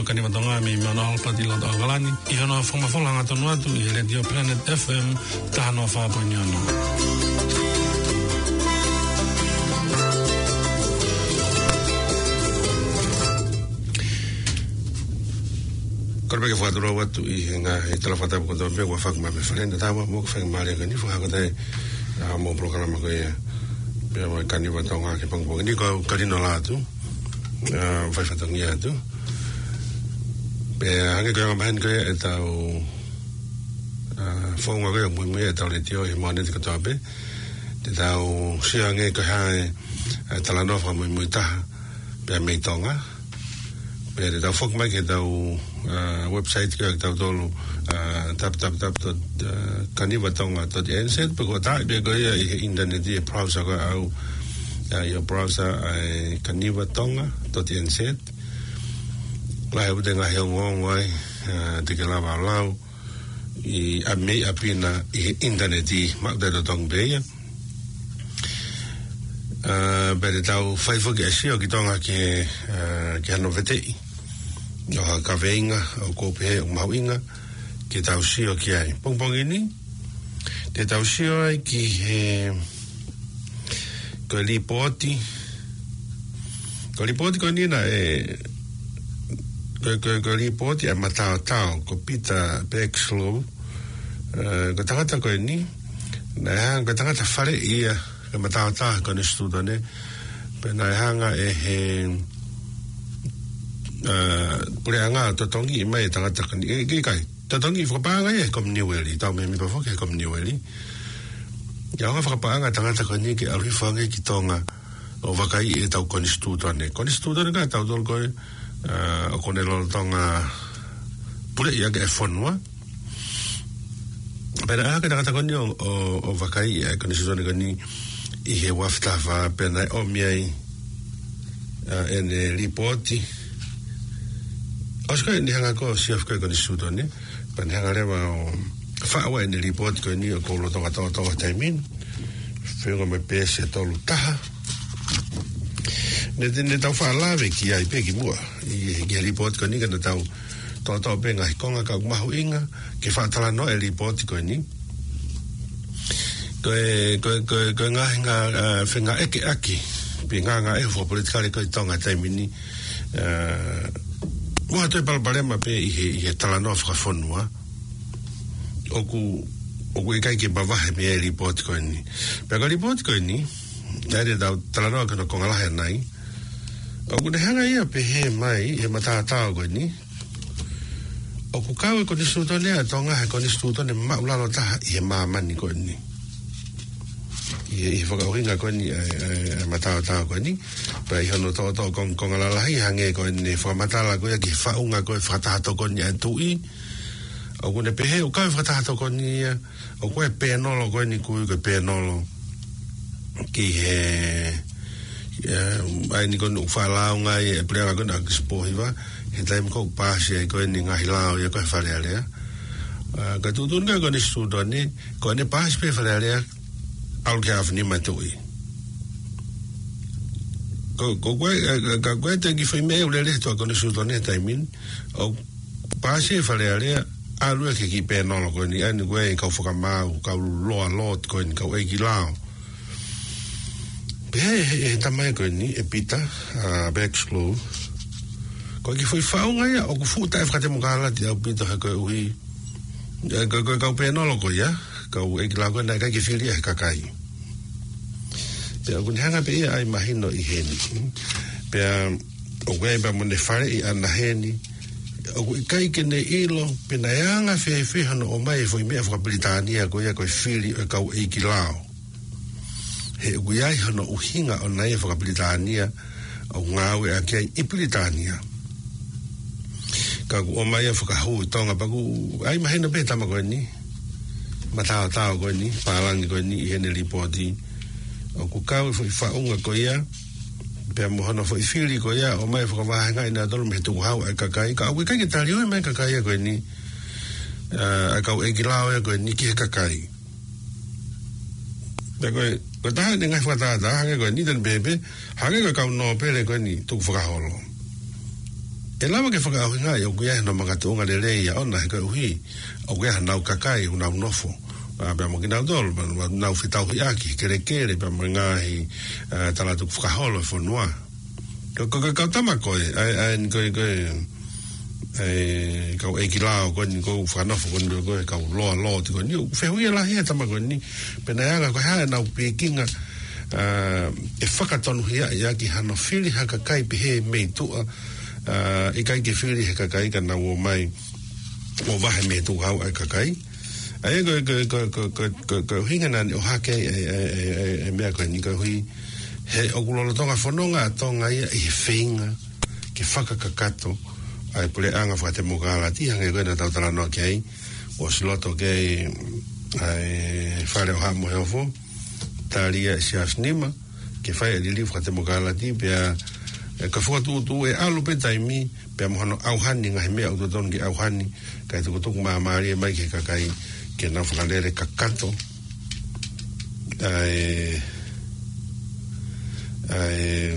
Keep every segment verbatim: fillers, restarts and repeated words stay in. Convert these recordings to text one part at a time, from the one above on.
Kaniva Tonga mei Mount Albert ʻi loto ʻAokalani, ʻi hono fakamafola hangatonu atu ʻi he Letiō Planet F M taha noa fā poini ono. Kole pē ke fakatulou atu ʻi he ngaahi talafakatapu kotoa pē kuo fakamaʻu mei fale na tama mo ke fai mālie kani fakahako atu ʻa e, ʻa, mo e polokalama ko ia. Pea mo e Kaniva Tonga ki he pongipongi ni ko au Kalino Lātū, ʻa, fai fatongia atu. Pea hangē ko e anga maheni ko ia ʻetau, ʻa, founga ko ia muimui ʻetau letiō ʻi he Mōnite kotoa pē. Te tau sio ange ko e hā e, ʻa, talanoa fakamuimui taha pea mei Tonga. Pea te tau foki mai ki heʻetau, ʻa, website ko ia ʻa kitautolu, ʻa, w w w dot kaniva tonga dot n z, pe ko e taaʻi pē ko ia ʻi he ʻinitaneti ʻi he browser ko ia ʻa au, ʻa, ʻi he browser ʻa e kaniva tonga dot n z. Lahi ʻa e ngaahi ongoongo ai, ʻa, te ke lava ʻo lau ʻi ʻa mei ʻapi na ʻi he ʻinitaneti, maʻu taʻetotongi pē ia. ʻA, pea te tau fai foki ʻa e sio ki Tonga ki he, ʻa, ki hano veteʻi ʻo ha kaveinga ʻoku ou pehē ʻoku mahuʻinga ke tau sio ki ai. Pongipongi ni, te tau sio ai ki he, ko e lipooti, ko e lipooti ko eni naʻe, ko, ko, ko e lipooti ʻa e mataotao, ko Peter Bergschlow, ʻa, ko e tangata ko eni, naʻe hanga, ko e tangata faleʻi ia, ko e mataotao konisitūtone, pea naʻe hanga ʻe he, ʻa, puleʻanga ʻo totongi mai e tangata ko eni, ʻe, ʻikai, totongi fakapaʻanga ia ʻe he Kominiueli, tau mēmipa foki he Kominiueli. ʻA e hanga fakapaʻanga tangata ko eni ke ʻalu hifo ange ki Tonga ʻo vakaiʻi ʻetau konisitūtone. Konisitūtone ka tautolu ko ē, ʻa, ʻoku ne lolotonga puleʻi ʻaki e fonua. Pea naʻe hanga ʻe he tangata ko eni ʻo, ʻo, ʻo vakaiʻi ʻa e konisitūtone ko eni ʻi he uaafe taha fā pea naʻe ʻomi ai, ʻa, ʻene lipooti. ʻOsi ko ē ʻene hanga ko ē ʻo sio fakakonisitūtone, pea ne hanga leva ʻo faʻu ʻene lipooti ko eni ʻoku ou lolotonga toʻotoʻo he taimi ni. Feʻunga mo e peesi ʻe tolu taha. Ne, ne, ne tau faʻa lave ki ai pē kimuʻa. ʻI, ʻi he lipooti ko eni ka ne tau toʻotoʻo pē ngaahi konga ka ʻoku mahuʻinga ke faʻa talanoa e lipooti ko eni. Ko e, ko e, ko e, ko e ngaahi ngā, ʻa, fengāueʻaki, pe ngāngāue fakapolitikale ko ē ʻi Tonga he taimi ni, ʻa, ʻoku ʻi ai e palopalema pē ʻi he, ʻi he talanoa fakafonua. ʻOku, ʻoku ʻikai ke mavahe mei ai e lipooti ko eni. Pea ko e lipooti ko eni, naʻe te tau talanoa ki hono konga lahi ʻanai. ʻOku ne hanga ia ʻo pehē mai, ʻe he mataotao ko eni, ʻoku kau e konisitūtone ʻa Tonga he konisitūtone māʻulalo taha ʻi he māmani ko eni. ʻI he, ʻi he fakaʻuhinga ko eni ʻa e, ʻa e, ʻa e mataotao ko eni. Pea ʻi hono toʻotoʻo kong-, konga lalahi hangē ko ʻene fakamatala ko ia ki he faʻunga ko ē fakataha tokoni ʻa e tuʻi. ʻOku ne pehē ʻoku kau e fakataha tokoni ia, ʻoku ʻi ai e pēnolo ko eni ʻoku ui ko e pēnolo ki he, ʻa, ʻa eni ko eni ʻoku faʻa lāunga ai e puleʻanga ko eni ʻa Kisipohiva, he taimi ko ē ʻoku paasi ai ko eni ngaahi lao ia ko ē Fale Alea. ʻA, ka tuʻutuʻuni ko ē konisitūtone, ko ʻene paasi pē Fale Alea, ʻalu ki he ʻAfio Nima e tuʻi. Ko, ko, ko e, ʻa, ka, ka ko e te ki fai mei ai ʻa e lele ʻa e konisitūtone he taimi ni, ʻoku paasi e Fale Alea, ʻalu ia ki he kiʻi pēnolo ko eni, ʻa eni ko e kau fakamaau, kau loa lot ko eni, kau ʻeiki lao. Pea ʻe he, he, he tama ko eni, ʻe Peter, ʻa, Bergschlow. Ko e kiʻi foʻi faʻunga ia, ʻoku fuʻu taʻefakatemokalati ʻaupito he koeʻuhi. ʻE, ko, ko e kau pēnolo ko ia, kau ʻeiki lao ko ē naʻe ʻikai ke fili ia ʻe he kakai. Pea ʻoku ne hanga pē ia ʻo ʻai mahino ʻi heni. Pea ʻoku ʻi ai pē mo ʻene faleʻi ʻana heni. ʻOku ʻikai ke ne ʻilo, pe naʻe anga fēfē hono ʻomai e foʻi meʻa fakapilitānia ko ia ko e fili ʻo e kau ʻeiki lao. He ʻoku ʻi ai hono ʻuhinga ʻona ia fakapilitānia, ʻoku ngāueʻaki ai ʻi Pilitānia. Ka ʻoku ʻomai ia ʻo fakahū ʻi Tonga pea ʻoku ʻai mahino pē he tama ko eni, mataotao ko eni, pālangi ko eni ʻi heʻene lipooti. ʻOku kau e foʻi faʻunga ko ia, pea mo hono foʻi fili ko ia, ʻomai ʻo fakavahengaʻi nautolu mei he tukuhau ʻa e kakai. Ka ʻoku ʻikai ke taliui mai e kakai ia ko eni, ʻa, ʻa e kau ʻeiki lao ia ko eni ki he kakai. Pea ko e, ko e taha ʻene ngaahi fakatātā, hangē ko eni te ne pehē pē, hangē ko e kau nōpele ko eni tukufakaholo. ʻE lava ke fakaʻuhingaʻi ʻoku ʻi ai hano makatuʻunga lelei ia ʻona he koeʻuhi ʻoku ʻi ai hanau kakai ʻoku nau nofo, ʻa, pea mo kinautolu, pea mo nau fetauhiʻaki, kelekele, pea mo e ngaahi, ʻa, tala tukufakaholo e fonua. Ko, ko, ko e kau tama ko ē, ʻa e, ʻa e, ko e, ko e, ʻa e, kau ʻeiki lao ko eni ʻoku fakanofo ko eni ko e kau loa loti ko eni, ʻoku fehuʻia lahi e tama ko eni, pe naʻe anga ko e hā ʻenau pikinga, ʻa, ʻe fakatonuhiaʻi ʻaki hano fili ha kakai pehē mei tuʻa, ʻa, ʻikai ke fili he kakai ka nau ō mai ʻo vahe mei tuʻa ʻa e kakai. ʻA ia ko e, ko e, ko e, ko e, ko e, ko e, ko e ʻuhinga naʻa ne ʻohake ai e, e, e, e, e meʻa ko eni koeʻuhi he ʻoku lolotonga fononga ʻa Tonga ia ʻi he feinga ke fakakakato ʻa e puleʻanga fakatemokalati, hangē ko ē naʻa tau talanoa ki ai, ʻosi loto ki ai ʻa e Fale ʻo Haʻa Moheofo, tali ia ʻe Siaosi Nima, ke fai e liliu fakatemokalati, pea, ʻe, ka fokotuʻutuʻu ʻe ʻalu pē taimi, pea mo hono ʻauhani ngaahi meʻa ʻoku totonu ke ʻauhani, kae tukutuku māmālie mai ki he kakai, ke nau fakalele kakato ʻa e, ʻa e,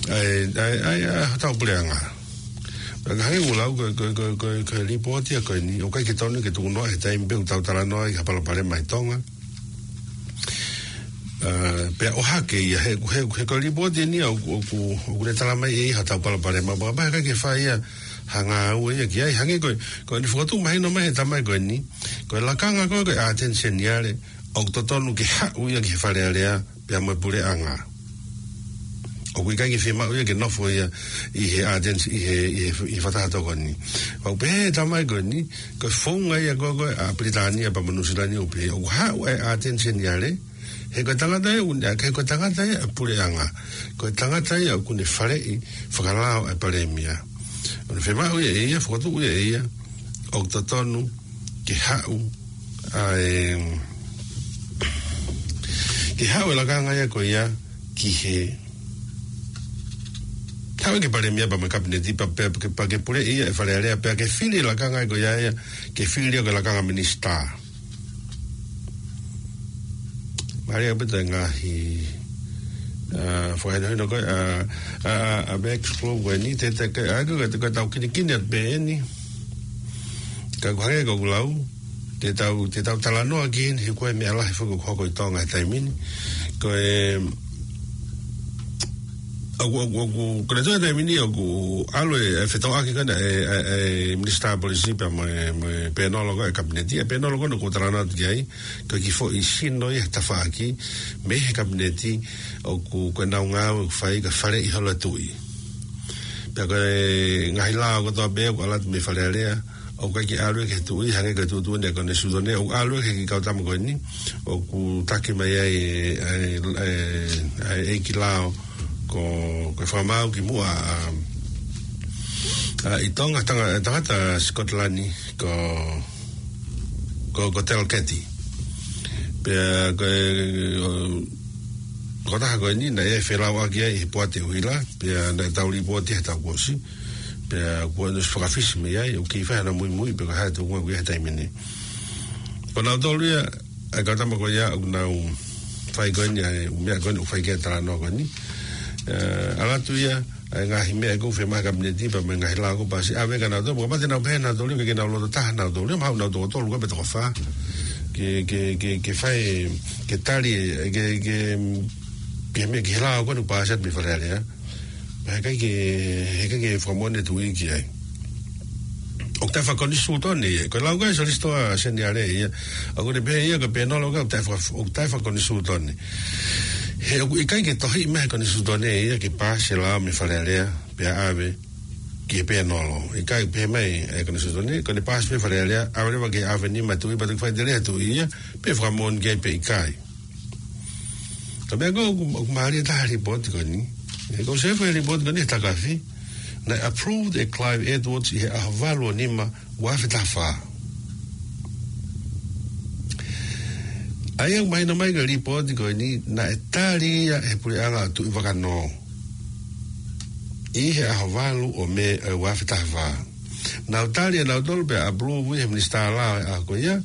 ʻa e, ʻa e, ʻa e, ʻa e, hotau puleʻanga. Pea ka hangē ʻoku lau ko e, ko e, ko e, ko e, ko e lipooti ia ko eni, ʻoku ʻikai ke tonu ke tukunoaʻi he taimi pē ʻoku tau talanoa ai ki ha palopalema ʻi Tonga. ʻA, pea ʻohake ia he, he, he ko e lipooti eni ia ʻoku, ʻoku, ʻoku ne tala mai ʻe ia hotau palopalema, pea, pea ʻikai ke fai ia ha ngāue ia ki ai, hangē ko e, ko eni fokotuʻu mahino mai he tama ko eni, ko e lakanga ko ē ko e ʻAteni Seniale, ʻoku totonu ke haʻu ia ki he Fale Alea, pea mo e puleʻanga. ʻOku ʻikai ke fiemaʻu ia ke nofo ia ʻi he ʻAteni, ʻi he, ʻi he, ʻi he fakataha tokoni. Pau pē he tama ko eni, ko e founga ia ko ē, ko ē ʻa Pilitānia pea mo Nuʻusila ni ʻo pehē, ʻoku haʻu e ʻAteni Seniale, he ko e tangata ia ʻoku ne, he ko e tangata ia ʻa e puleʻanga. Ko e tangata ia ʻoku ne faleʻi fakalao e palēmia. ʻOku ne fiemaʻu ia ʻe ia, fokotuʻu ia ʻe ia, ʻoku totonu ke haʻu ʻa e, ke haʻu e lakanga ia ko ia ki he, haʻu ki he palēmia pea mo e kapineti pea, pea, pea, pea ke puleʻi ia e Fale Alea pea ke fili e lakanga ia ko ia ia, ke fili ia ko e lakanga minisitā. Mālie ʻaupito e ngaahi, ʻa, fakahinohino ko ē, ʻa, ʻa, ʻa, ʻa Max Flow ko eni, te, te, ke, ʻa, ko, ko, ko e tau kinikini atu pē eni. Ka ko e hangē ko ʻeku lau, te tau, te tau talanoa ki heni, he ko e meʻa lahi foki ʻoku hoko ʻi Tonga he taimi ni. Ko e, ʻoku, ʻoku, ʻoku, ko e tau taimi ni ʻoku ʻalu e, e fetauʻaki ko ena e, e, e Minisitā Polisi pea mo e, mo e pēnolo ko ē e kapineti, e pēnolo ko ena ʻoku talanoa atu ki ai, ko e kiʻi foʻi sino ia he tafaʻaki, mei he kapineti, ʻoku, ko ʻenau ngāue ʻoku fai ka faleʻi holo e tuʻi. Pea ko e ngaahi lao kotoa pē ʻoku ʻalu atu mei Fale Alea, ʻoku ʻikai ke ʻalu ia ki he tuʻi, hangē ko e tuʻutuʻuni ʻa e Konisitūtone, ʻoku ʻalu ia ki he kau tama ko eni, ʻoku taki mai ai, ʻa e, ʻa e, ʻa e ʻeiki lao, ko, ko e fakamaau ki muʻa, ʻa, ʻa, ʻi Tonga, tanga-, tangata Scotland, ko, ko, ko Talkeeti. Pea ko e, ʻo, ko e taha ko eni, naʻe felauʻaki ai he poate ʻuhila, pea naʻe tau lipooti he taʻu kuo ʻosi, pea kuo ʻosi fakafisi mei ai, ʻoku kei fai hano muimui, pe ko e hā e tuʻunga ʻoku ʻi ai he taimi ni. Ko nautolu ia, ʻa e kau tama ko ia, ʻoku nau fai ko eni, ʻa e ʻū meʻa ko eni, ʻoku fai ki ai e talanoa ko eni. ʻE, ʻalu atu ia, ʻa e ngaahi meʻa ʻoku fiemaʻu he kapineti, pea mo e ngaahi lao ʻoku paasi, ʻave kia nautolu, pea kapau te nau pehē nautolu, ke, ke nau loto taha nautolu, mahalo nau toko tolu, ko e pe toko fā. Ke, ke, ke, ke fai, ke tali, ke, ke, ke meʻa ki he lao ko eni ʻoku paasi atu mei Fale Alea. Pea heʻikai ke, heʻikai ke fakamoʻoni e tuʻi ki ai. ʻOku taʻefakakonisitūtone ia. Ko e lau ko ē ʻa e Solisitā Seniale ia. ʻOku ne pehē ia ko e pēnolo ko ē ʻoku taʻefaka-, ʻoku taʻefakakonisitūtone. He ʻoku ʻikai ke tohiʻi mai he Konisitūtone ia ke paasi e lao mei Fale Alea, pea ʻave ki he pēnolo. ʻIkai pehē mai e Konisitūtone, ko ʻene paasi mei Fale Alea, ʻave leva ki he ʻAveni mo e tuʻi, pea toki faʻiteliha e tuʻi ia, pe fakamoʻoni ki ai pe ʻikai. Ka meʻa ko ē ʻoku, ʻoku mālie taha e lipooti ko eni. ʻE, ko e sefo e lipooti ko eni he takafi. Naʻe approved ʻe Clive Edwards ʻi he ʻaho valu ʻo nima, ua afe taha fā. ʻA ia ʻoku mahino mai ko e lipooti ko eni, naʻe tali ia he puleʻanga ʻo Tuʻivakanō. ʻI he ʻaho valu ʻo Mē, ʻe, ua afe taha fā. Nau tali ʻe nautolu pea approve ʻe he minisitā lao e ʻaho ko ia,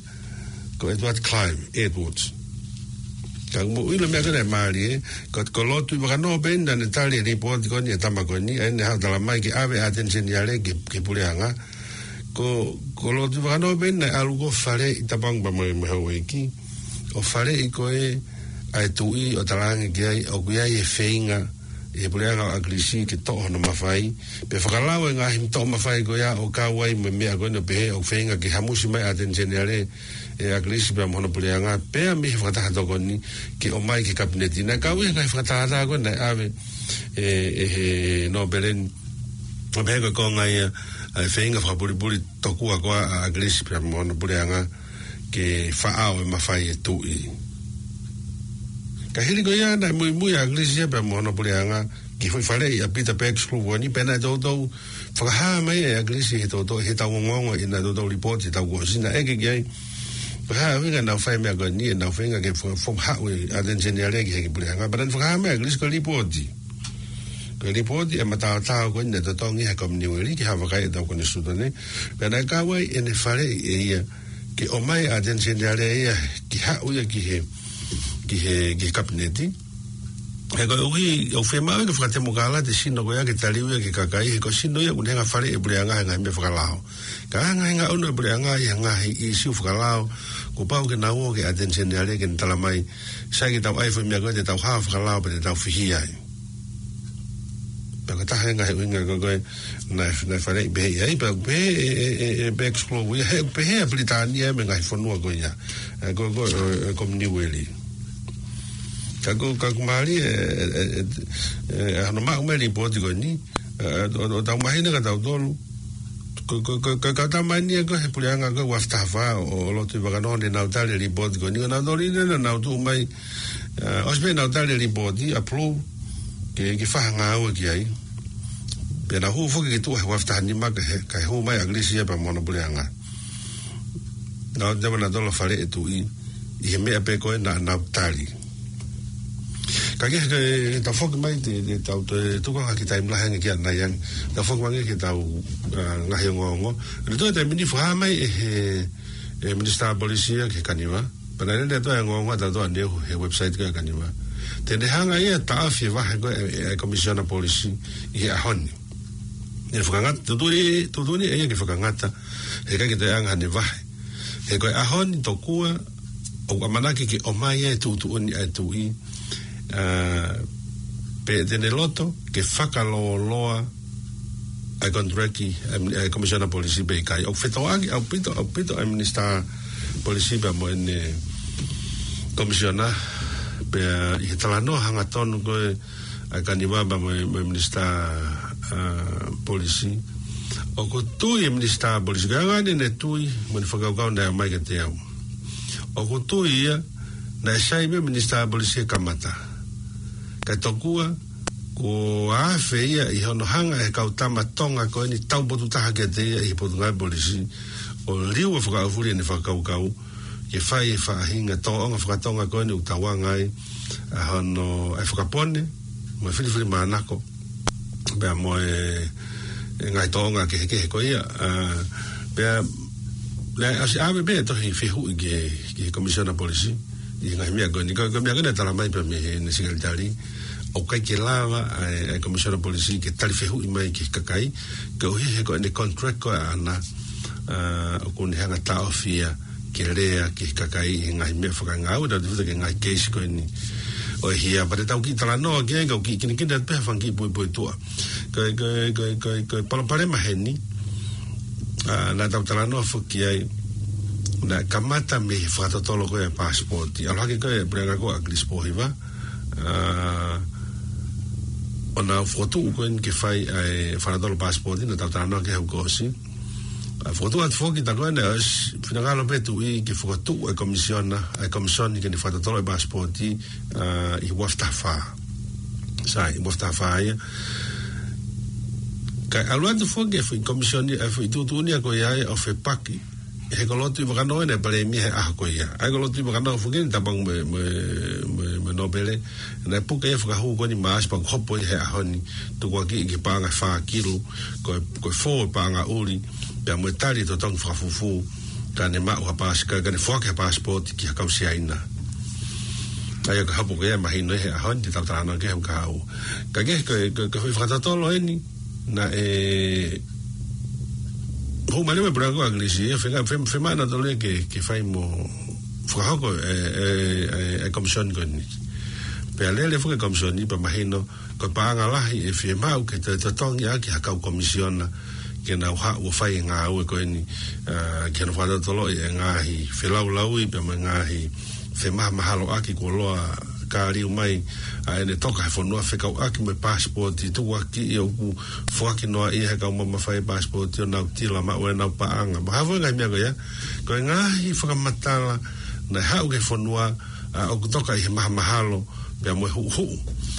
ko Edward Clive Edwards. Ka ʻoku mou ʻilo e meʻa ko ē naʻe mālie, ko, ko Lord Tuʻivakanō pē naʻa ne tali e lipooti ko eni ʻa e tama ko eni, ʻa ia naʻe haʻu ʻo talamai ke ʻave ʻa Attorney General ki, ki he puleʻanga. Ko, ko Lord Tuʻivakanō pē naʻe ʻalu ko ē ʻo faleʻi, tapu ange pea mo e, mo e houʻeiki, ʻo faleʻi ko ē ʻa e tuʻi ʻo talaange ki ai ʻoku ʻi ai e feinga ʻi he puleʻanga ʻo ʻAkilisi ke toʻo hono mafai, pea fakalau e ngaahi toʻo mafai ko ia ʻo kau ai mo e meʻa ko eni ʻo pehē ʻoku feinga ke hamusi mai ʻa Attorney General ʻe ʻAkilisi pea mo hono puleʻanga, pea mei he fakataha tokoni ke ʻomai ki he kapineti. Naʻe kau ia he ngaahi fakatātā ko ē naʻe ʻave ʻe, ʻe he nōpele ni, ʻo pehē ko e konga ia ʻa e feinga fakapulipuli tokua ko ia ʻa ʻAkilisi pea mo hono puleʻanga ke faʻao e mafai e tuʻi. Ka hili ko ia naʻe muimui ʻa ʻAkilisi ia pea mo hono puleʻanga ki he foʻi faleʻi ʻa Peter Pax Hluvuoni, pea naʻe toutou fakahā mai ʻe ʻAkilisi ʻi he toutou, ʻi heʻetau ongoongo, ʻi heʻenau toutou lipooti ʻi he taʻu kuo ʻosi, naʻe ʻeke ki ai pe ko e hā e ʻuhinga ʻenau fai e meʻa ko eni, ʻenau feinga ke fo-, fo-, haʻu e Attorney General ki he puleʻanga. Pea naʻe fakahā mai ʻe ʻAkilisi ko e lipooti, ko e lipooti ʻa e mataotao ko eni naʻe totongi ʻe he Kominiueli ki he vakai ʻetau konisitūtone. Pea naʻe kau ai ʻene faleʻi ʻe ia ke ʻomai ʻa Attorney General ia ke haʻu ia ki he, ki he, ki he kapineti. He koeʻuhi ʻoku fiemaʻu ia ke fakatemokalati e sino ko ia ke taliu ia ki he kakai, he ko e sino ia ʻoku ne hanga ʻo faleʻi e puleʻanga he ngaahi meʻa fakalao. Ka hanga ʻe he ngaahi ʻū puleʻanga ʻi he ngaahi ʻīsiu fakalao, kuo pau ke nau ō ki he Attorney General ke ne talamai, sai ke tau ʻai e foʻi meʻa ko ē, te tau hao fakalao pea te tau fihi ai. Pea ko e taha e ngaahi ʻuhinga ko ē naʻe, naʻe faleʻi pehē ai, pea pehē ʻe, ʻe, ʻe, ʻe Pax Hluvuoni ia, he pehē ʻa Pilitānia mo e ngaahi fonua ko ia, ʻe, ko, ko, ʻe, ʻe Kominiueli. Ka ko, ka ʻoku mālie e, e, e, e, ʻa hono maʻu mai e lipooti ko eni, ʻe, ʻo, ʻo tau mahino kia tautolu, ko, ko, ko, ko e kau tama eni ia ko ē he puleʻanga ko ē ua afe taha fā ʻo, ʻo Lord Tuʻivakanō naʻa nau tali e lipooti ko eni, ʻo nau toli ne nau tuʻu mai, ʻe, ʻosi pē ʻenau tali e lipooti, approve, ke, ke fai ha ngāue ki ai. Pea nau hū foki ki tuʻa he ua afe taha nima kae, kae hū mai ʻa ʻAkilisi ia pea mo hono puleʻanga. Naʻa nau toe faleʻi e tuʻi ʻi he meʻa pē ko ē naʻa nau tali. Ka ke, ke tafoki mai te, te tau toe tuku ange ki he taimi lahi ange ki ʻanai ange. Tafoki mai ange ki heʻetau, ʻa, ngaahi ongoongo. Naʻe toe taimi ni fakahā mai ʻe he, ʻe he Minisitā Polisi ia ki he Kaniva. Pea naʻe toe ongoongo ʻa tautolu ʻaneuhu he website ko ē ʻa e Kaniva. Te ne hanga ia ʻo taʻofi e vahe ko ē ʻa e, ʻa e Komisiona Polisi ʻi he ʻaho ni. ʻE fakangata, tuʻutuʻuni, tuʻutuʻuni ʻe ia ke fakangata, he ʻikai ke toe ʻi ai hano vahe. He ko e ʻaho ni tokua ʻoku ʻamanaki ke ʻomai e tuʻutuʻuni ʻa e tuʻi, ʻa, pe te ne loto ke fakalōloa ʻa e contract ʻa e, ʻa e Komisiona Polisi pe ʻikai. ʻOku fetoʻaki ʻaupito, ʻaupito ʻa e Minisitā Polisi pea mo ʻene Komisiona, pea ʻi he talanoa hangatonu ko ē ʻa e Kaniva pea mo e, mo e Minisitā, ʻa, Polisi. ʻOku tui e Minisitā Polisi, ko e anga ʻene tui mo ʻene fakakaukau naʻe ʻomai kiate au. ʻOku tui ia naʻe sai pē Minisitā Polisi he kamata. Kae tokua, kuo afe ia ʻi hono hanga ʻe he kau tama Tonga ko eni taupotu taha kiate ia ʻi he Potungāue Polisi, ʻo liua fakaʻaufuli ʻene fakakaukau, ke fai e faʻahinga tōʻonga fakatonga ko eni ʻoku tau anga ai, ʻa hono, ʻa e fakapone, mo e filifilimānako, pea mo e, e ngaahi tōʻonga kehekehe ko ia, ʻa, pea, naʻe ʻosi ʻave pē e tohi fehuʻi ki he, ki he Komisiona Polisi, ʻi he ngaahi meʻa ko eni, ko, ko e meʻa ko eni naʻe talamai pē mei heʻene sekelitali, ʻoku ʻikai ke lava ʻa e, ʻa e Komisiona Polisi ke tali fehuʻi mai ki he kakai, koeʻuhi he ko ʻene contract ko ē ʻaʻana, ʻa, ʻoku ne hanga ʻo taʻofi ia ke lea ki he kakai ʻi he ngaahi meʻa fakangāue, tau tefito ki he ngaahi keisi ko eni ʻo e hia, pea te tau kiʻi talanoa ki ai, kau kiʻi kinikini atu pē ha fanga kiʻi puipuituʻa. Ko e, ko e, ko e, ko e, ko e palopalema heni, ʻa, naʻa tau talanoa foki ai, naʻe kamata mei he fakatotolo ko ē ʻa e paasipooti. ʻAlu hake ko ē e puleʻanga ko ē ʻa ʻAkilisi Pōhiva, ʻa, ʻo nau fokotuʻu ko eni ke fai ʻa e fakatotolo paasipooti, naʻa tau talanoa ki ai he kuo ʻosi. ʻA, fokotuʻu atu foki, tā ko ē naʻe ʻosi finangalo pē tuʻi ke fokotuʻu e komisiona, ʻa e komisoni ke ne fakatotolo e paasipooti, ʻa, ʻi he ua afe taha fā. Sai, ua afe taha fā ia. Kae ʻalu atu foki e foʻi komisoni, e foʻi tuʻutuʻuni ia ko ia ʻo fepaki he ko Lord Tuʻivakanō ʻa e palēmia he ʻaho ko ia. ʻA ia ko Lord Tuʻivakanō foki eni, tapu ange mo e, mo e, mo e, mo e nōpele, naʻe puke ia he fakahū ko eni Maʻasi pea ʻoku hopo ia he ʻaho ni, tukuakiʻi ki he paʻanga ʻe fā kilu, ko e, ko e fō e paʻanga ʻuli, pea mo e tali e totongi fakafufū, ka ne maʻu ha paasi-, ka, ka ne foaki ha paasipooti ki ha kau Siaina. ʻA ia ko e hapo ko ia ʻe mahino he ʻaho ni te tau talanoa ki ai he ʻaho kahaʻu. Ka ko e, ko e, ko e, ko e foʻi fakatotolo eni, naʻe hū mai leva e puleʻanga ʻAkilisi, ʻe fenga-, fe-, fiemaʻu nautolu ia ke, ke fai mo fakahoko e, e, e, e komisioni ko eni. Pea lele foki e komisioni pea mahino, ko e paʻanga lahi ʻe fiemaʻu ke toe totongi ʻaki ha kau komisiona ke nau haʻu ʻo fai e ngāue ko eni, ā, ke nau fakatotoloʻi e ngaahi felaulauʻi pea mo e ngaahi femahamahaʻaki kuo ʻosi kāliu mai ʻa ʻene toka he fonua fekauʻaki mo e paasipooti tukuakiʻi ʻoku foaki noaʻia ʻe he kau mamafa e paasipooti ʻo nau tila maʻu ʻenau paʻanga. Mo ha foʻi ngaahi meʻa ko ia, ko e ngaahi fakamatala naʻe haʻu ki he fonua, ā, ʻoku toka ʻi he mahamahalo pea mo e huʻuhuʻu.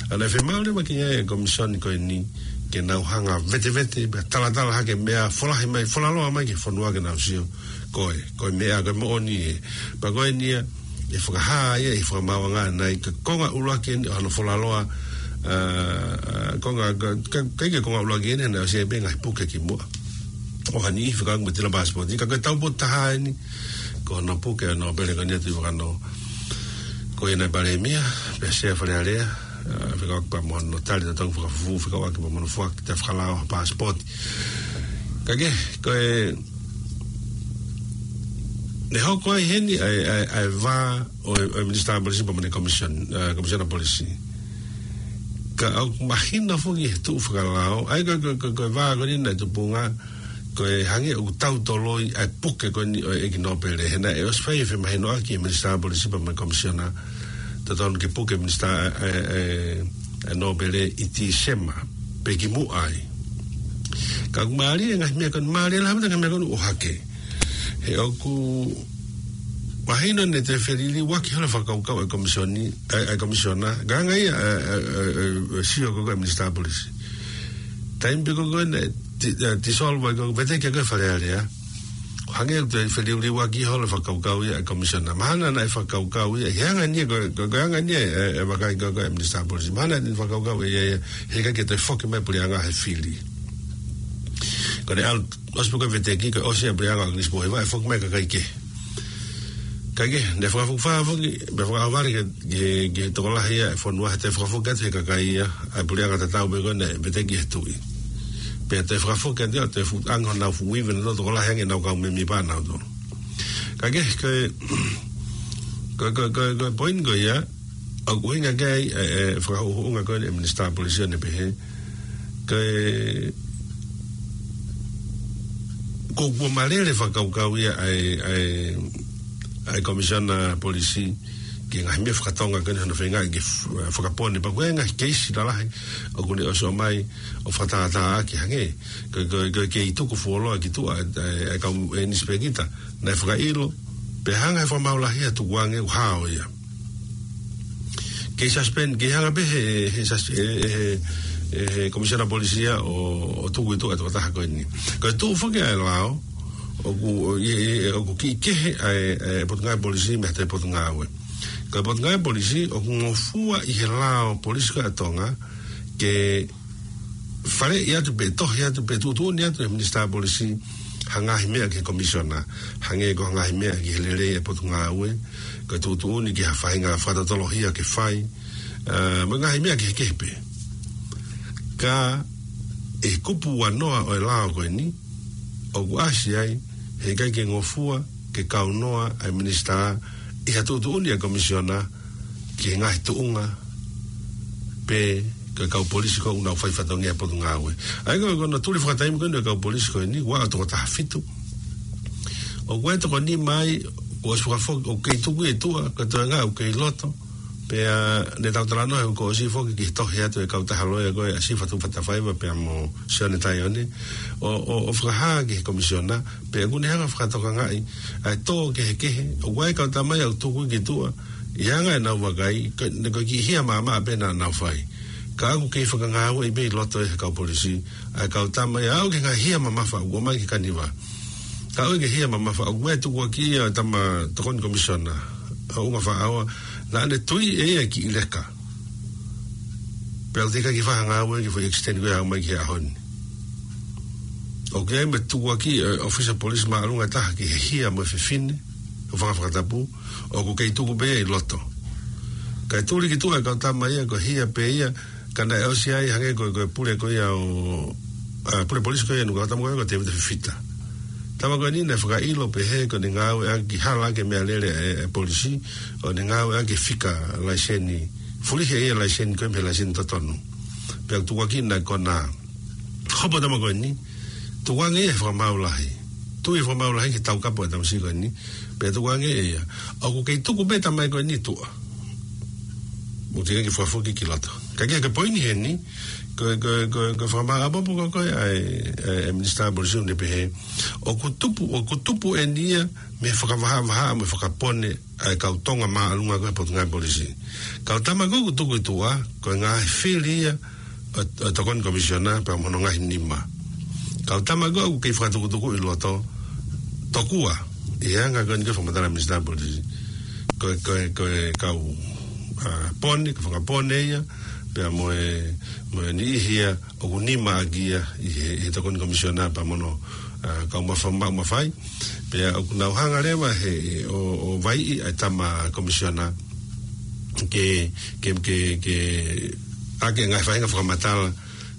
ʻA ia naʻe fiemaʻu leva ki ai e komisioni ko eni ke nau hanga vetevete, pea talatala hake meʻa, folahi mai, folaloa mai ki he fonua ke nau sio ko e, ko e meʻa, ko e moʻoni ē. Pea ko eni ia, ʻe fakahā ia ʻi he fakamaauʻanga ʻanenai, ko e konga ʻuluaki eni ʻo hono folaloa, ā, ā, konga, ka, ka, ka ʻikai ko e konga ʻuluaki eni, naʻe ʻosi ʻi ai pē ngaahi puke kimuʻa ʻo ha niʻihi fekauʻaki mo e tila paasipooti, ka ko e taupotu taha eni, ko hono puke ʻa e nōpele ko eni ʻa Tuʻivakanō. Ko ia naʻe palēmia, pea sea Fale Alea, ā, fekauʻaki pea mo hono tali totongi fakafufū, fekauʻaki pea mo hono foaki ʻa e fakalao ha paasipooti. Ka ko e, ko e, naʻe hoko ai heni ʻa e, ʻa e, ʻa e vā ʻo e, ʻo e Minisitā Polisi pea mo e komisiona, ā, komisiona polisi. Ka ʻoku mahino foki he tuʻu fakalao, ʻa ia ko, ko, ko, ko e vā ko eni naʻe tupunga, ko e hangē ʻoku tau toloi ʻa e puke ko eni ʻo e ʻEiki Nōpele. He naʻe ʻosi fai e femahinoʻaki ʻe he Minisitā Polisi pea mo e komisiona, totonu ke puke e Minisitā, ē, ē, ē, Nōpele ʻi Tīsema, pe kimuʻa ai. Ka ʻoku mālie e ngaahi meʻa ko eni, mālie lahi e ngaahi meʻa ko eni ʻohake. He ʻoku mahino naʻe toe feliliuaki holo e fakakaukau ʻa e komisioni, ē, ʻa e komisiona, ka hangē ia, ē, ē, ē, ē, ē, sio ko ē ʻa e Minisitā Polisi. Taimi pē ko ē naʻe ti-, ē, tisolva ko ē, veteki ko ē Fale Alea. Hangē ʻoku toe feliliuaki holo e fakakaukau ia ʻa e komisiona. Mahalo naʻe fakakaukau ia, he anga eni ko, ko, ko e anga eni e, e, e vakai ko ē ʻa e Minisitā Polisi. Mahalo naʻe fakakaukau ia, ia, he ʻikai ke toe foki mai e puleʻanga he fili. Ko ʻene ʻalu, ʻosi pē ko ē veteki, ko e ʻosi e puleʻanga ʻo ʻAkilisi Pōhiva, ʻe foki mai e kakai kehe. Ka ko e, naʻe fakafokifā foki, pea fakaʻauvale ke, ke, ke tokolahi ia e fonua he toe fakafoki atu he kakai ia, ʻa e puleʻanga tatau pē ko ē naʻe veteki he tuʻi. Pea toe fakafoki atu ia, toe fuʻu angi honau fuʻu ivi nautolu tokolahi ange ʻenau kau mēmipa nautolu. Ka ko e, ko e, ko e, ko e, ko e, ko e poini ko ia, ʻoku ʻuhinga ki ai, ē, ē, fakahuhuʻunga ko ē ʻa e Minisitā Polisi ʻo ne pehē, ko e, ko, kuo malele e fakakaukau ia ʻa e, ʻa e, ʻa e Komisiona Polisi ki he ngaahi meʻa fakatonga ko eni hono feingaʻi ke f-, fakapone, pea ko e ngaahi keisi lalahi ʻoku ne ʻosi ʻomai ʻo fakatātā ʻaki hangē ko e, ko e, ko e kei tuku fuoloa ki tuʻa ʻa e, ʻa e, ʻa e kau ʻinisipēkita naʻe fakaʻilo, pea hanga ʻe he fakamaau lahi ia ʻo tukuange ʻo hao ia. Kei suspend, kei hanga pē he, he sus-, he, he, he, he Komisiona Polisi ia ʻo, ʻo tuku ʻi tuʻa e tokotaha ko eni. Ko e tuʻu foki ʻa e lao, ʻoku, ʻo, ʻi, ʻi, ʻoku kiʻi kehe ʻa e, ʻa e Potungāue Polisi mei ha toe Potungāue. Ko e Potungāue Polisi ʻoku ngofua ʻi he lao polisi ko ē ʻa Tonga ke faleʻi atu pe tohi atu pe tuʻutuʻuni atu ʻe he Minisitā Polisi ha ngaahi meʻa ki he Komisiona. Hangē ko ha ngaahi meʻa ki he lelei e Potungāue, ko e tuʻutuʻuni ki ha faʻahinga fakatotoloʻi ke fai, ā, mo e ngaahi meʻa kehekehe pē. Ka ʻi he kupu uanoa ʻo e lao ko eni, ʻoku ʻasi ai, he ʻikai ke ngofua ke kaunoa ʻa e Minisitā ʻi ha tuʻutuʻuni ʻa e Komisiona ki he ngaahi tuʻunga pe ko e kau polisi ko ē ʻoku nau fai fatongia he Potungāue. ʻA ia ko e, ko hono tuli fakataimi ko eni ʻo e kau polisi ko eni, ua ʻo tokotaha fitu. ʻOku ʻi ai e toko nima ai, kuo ʻosi fakafoki, ʻoku kei tuku ʻi tuʻa, ko e toenga ʻoku kei loto. Pea naʻa tau talanoa he kuo ʻosi foki ki he tohi atu ʻa e kautaha loea ko ē ʻa Sifa Tuʻifatafaiva pea mo Sione Taione, ʻo, ʻo, ʻo fakahā ki he Komisiona, pea ʻoku ne hanga ʻo fakatokangaʻi ʻa e tō kehekehe, ʻoku ʻi ai e kau tama ia ʻoku tuku ki tuʻa, ʻi he anga ʻenau vakai, ka, ne ko e kiʻi hia maʻamaʻa pē naʻa nau fai. Ka ʻoku kei fakangāueʻi pē ʻi loto ʻe he kau polisi ʻa e kau tama ia, aʻu ki he ngaahi hia mamafa ʻoku ʻomai ki he kaniva. Ka ʻoku ʻi ai e hia mamafa, ʻoku ʻi ai e tukuakiʻi ʻa e tama tokoni Komisiona, ʻa Ungafaʻaoa, naʻa ne tui ʻe ia e kiʻi leka. Pea ʻoku teʻeki ke fakangāueʻi e kiʻi foʻi extend ko ē ʻa mai ki he ʻaho ni. ʻOku ʻi ai mo e tukuakiʻi ʻa e ʻōfisa polisi māʻolunga taha ki he hia mo e fefine, ʻo faka-, fakatapu, ʻoku kei tuku pē ia ʻi loto. Kae tuli ki tuʻa e kau tama ia, ko e hia pē ia, ka naʻe ʻosi ʻi ai hangē ko, ko e pule ko ia ʻo, ʻa, pule polisi ko ia ʻa e kau tama ko ia ko Tēvita Fifita. Tama ko eni naʻe fakaʻilo pehē ko ʻene ngāueʻaki hala ʻaki e meʻalele ʻa e, ʻa e polisi, ʻo ne ngāueʻaki e fika laiseni, fulihi ʻe ia e laiseni ko ē mei he laiseni totonu. Pea tukuakiʻi naʻe konā. Hopo tama ko eni, tukuange ia he fakamaau lahi. Tui he fakamaau lahi ki he taukapo ʻa e tamasiʻi ko eni, pea tukuange ia. ʻOku kei tuku pē tama ko eni tuʻa. Mo te ke fakafoki ki loto. Ka ke, ke poini heni, ko, ko, ko, ko e fakamaau ʻapoʻapo ko, ko e, ʻa e, ʻa e, ʻa e Minisitā Polisi ʻoku ne pehē. ʻOku tupu, ʻoku tupu eni ia, mei he fakavahavahaʻa, mei he fakapone, ʻa e kau Tonga māʻolunga ko ē he Potungāue Polisi. Kau tama ko ē ʻoku tuku ʻi tuʻa, ko e ngaahi fili ia ʻo, ʻo e Tokoni Komisiona pea mo hono ngaahi nima. Kau tama ko ē ʻoku kei fakatukutuku ʻi loto, tokua, ʻi he anga ko eni ko e fakamatala ʻa e Minisitā Polisi. Ko e, ko e, ko e kau, ʻa, pone, ko e fakapone ia, pea mo e, mo e niʻihi ia, ʻoku nima ʻaki ia ʻi he, ʻi he Tokoni Komisiona pea mo hono, ʻa, kau mafa-, ma-, mafai. Pea ʻoku nau hanga leva he, ʻo, ʻo vaiʻi ʻa e tama komisiona ke, ke, ke, ke ʻai e ngaahi faʻahinga fakamatala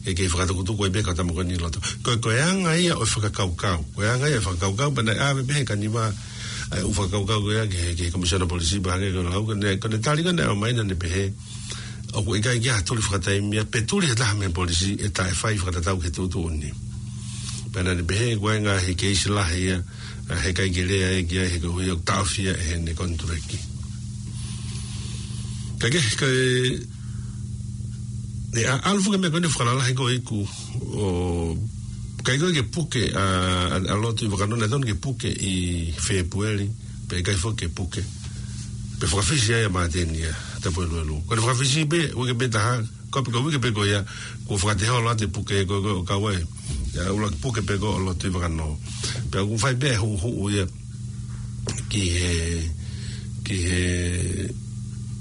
ke, ke fakatukutuku ai pē kau tama ko eni ʻi loto. Ko, ko e anga ia ʻo e fakakaukau. Ko e anga ia ʻo e fakakaukau, pea naʻe ʻave pē he kaniva, ʻa e ʻū fakakaukau ko ia ki he, ki he Komisiona Polisi pea hangē ko e lau, ko ʻene, ko ʻene tali ko ē naʻe ʻomai naʻa ne pehē, ʻoku ʻikai ke ʻi ai ha tuli fakataimi ia, pe tuli ha taha mei he polisi ʻe taʻe fai fakatatau ki he tuʻutuʻuni. Pea naʻa ne pehē, ko e ngaahi keisi lahi ia, ʻa, heʻikai ke lea ia ki ai he koeʻuhi ʻoku taʻofi ia ʻe heʻene konituleki. Ka ke, ka e, ne ʻa, ʻalu foki e meʻa ko eni fakalalahi ko ē ʻiku, ʻo, ʻikai ko ē ke puke, ʻa, ʻa, ʻa Lotu ʻi Vakanoa, naʻe tonu ke puke ʻi Fēpueli, pea ʻikai foki ke puke. Pea fakafisi ai ʻa Māteni ia, Tapueluelu. Ko ʻene fakafisi pē, uike pē taha, ko pē ko e uike pē ko ia, kuo fakatehola atu e puke ko, ko, ʻo kau ai. ʻA, ʻuluaki puke pē ko ē ʻo Lotu ʻi Vakanoa. Pea ʻoku fai pē huʻuhuʻu ia ki he, ki he,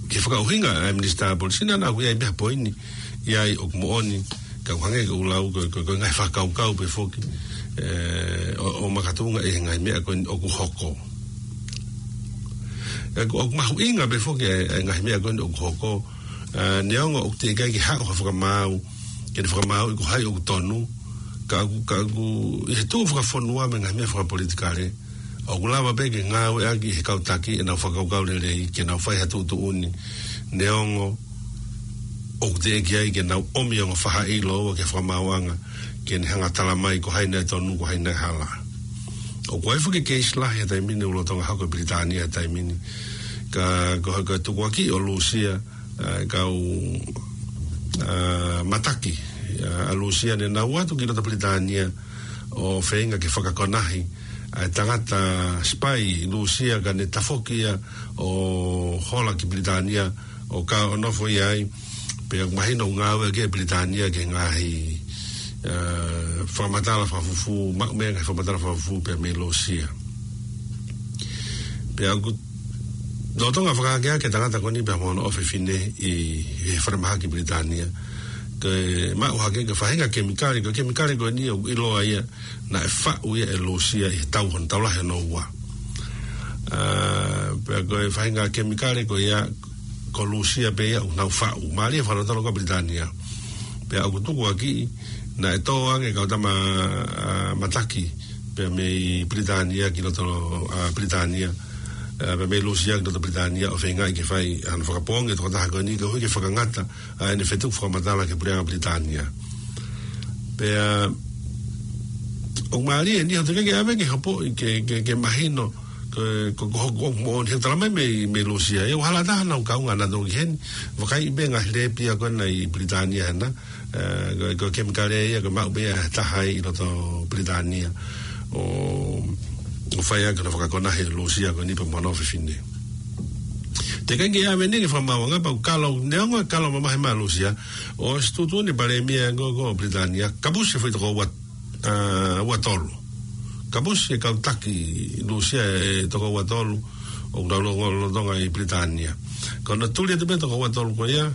ki he fakaʻuhinga ʻa e Minisitā Polisi naʻa, naʻa ʻoku ʻi ai pē ha poini, ʻi ai ʻoku moʻoni, ka ʻoku hangē ko ʻeku lau ko, ko, ko e ngaahi fakakaukau pē foki, ē, ʻo, ʻo makatuʻunga ʻi he ngaahi meʻa ko eni ʻoku hoko. ʻE, ʻoku, ʻoku mahuʻinga pē foki ʻa e, ʻa e ngaahi meʻa ko eni ʻoku hoko, ē, neongo ʻoku teʻeki ai ke haʻu ha fakamaau, ke ne fakamaauʻi ko hai ʻoku tonu, ka ʻoku, ka ʻoku, ʻi he tuʻu fakafonua mo e ngaahi meʻa fakapolitikale, ʻoku lava pē ke ngāueʻaki ʻe he kau taki ʻenau fakakaukau lelei, ke nau fai ha tuʻutuʻuni, neongo ʻoku teʻeki ai ke nau ʻomi ʻa e ongo faʻahi ʻiloa ki he fakamaauʻanga, ke ne hanga ʻo tala mai ko hai naʻe tonu, ko hai naʻe hala. ʻOku ʻi ai foki e keisi lahi he taimi ni ʻoku lolotonga hoko ʻi Pilitānia he taimi ni. Ka, ko, ko e tukuakiʻi ʻo Lūsia, ʻa e kau, ʻa, mataki, ʻa, ʻa Lūsia ne nau ō atu ki loto Pilitānia ʻo feinga ke fakakonahi ʻa e tangata sipai Lūsia ka ne tafoki ia ʻo hola ki Pilitānia ʻo kau ʻo nofo ia ai, pea mahino ʻoku ngāueʻaki ʻe Pilitānia ki he ngaahi, ʻa, fakamatala fakafufū, maʻu mai e ngaahi fakamatala fakafufū pea mei Lūsia. Pea ʻoku lolotonga fakaakeake e tangata ko eni pea mo hono ʻofefine ʻi he falemahaki Pilitānia. Ke maʻu hake ki he faʻahinga kemikale, ko e kemikale ko eni ʻoku ʻiloa ia naʻe faʻu ia ʻe Lūsia ʻi he tau hono tau lahi hono ua. ʻA, pea ko e faʻahinga kemikale ko ia ko Lūsia pē ia ʻoku nau faʻu. Mālie e fakalotolo ko ē ʻa Pilitānia. Pea ʻoku tukuakiʻi naʻe tō ange e kau tama, ʻa, mataki pea mei Pilitānia ki loto, ʻa, Pilitānia, ʻa, pea mei Lūsia ki loto Pilitānia ʻo feingaʻi ke fai hano fakapoongi e tokotaha ko eni koeʻuhi ke fakangata ʻa ʻene fetuku fakamatala ki he puleʻanga Pilitānia. Pea ʻoku mālie eni, ʻoku teʻeki ke ʻave ke hopo ke, ke, ke mahino ko, ko, ko, ko, ko moʻoni he tala mai mei, mei Lūsia. ʻE ʻoku hala taha nau kaunga naʻa nau toki heni, vakai pē ngaahi lēpi ia ko ena ʻi Pilitānia hena, ʻa, ko, ko e kemikale ia ko e maʻu pē ia ʻe ha taha ʻi loto Pilitānia ʻo, ʻo fai ʻaki hono fakakonahi ʻe Lūsia ko eni pea mo hono ʻofefine. Teʻeki ke ʻave eni ki he fakamaauʻanga pea ʻoku kalo, neongo e kalo mamahi mai ʻa Lūsia, ʻosi tuʻutuʻuni e palēmia ko, ko Pilitānia, kapusi e foʻi toko ua, ʻa, ua tolu. Kapusi e kau taki Lūsia ʻe toko ua tolu ʻoku nau lolotonga ʻi Pilitānia. Ka naʻe tuli atu pē toko ua tolu ko ia,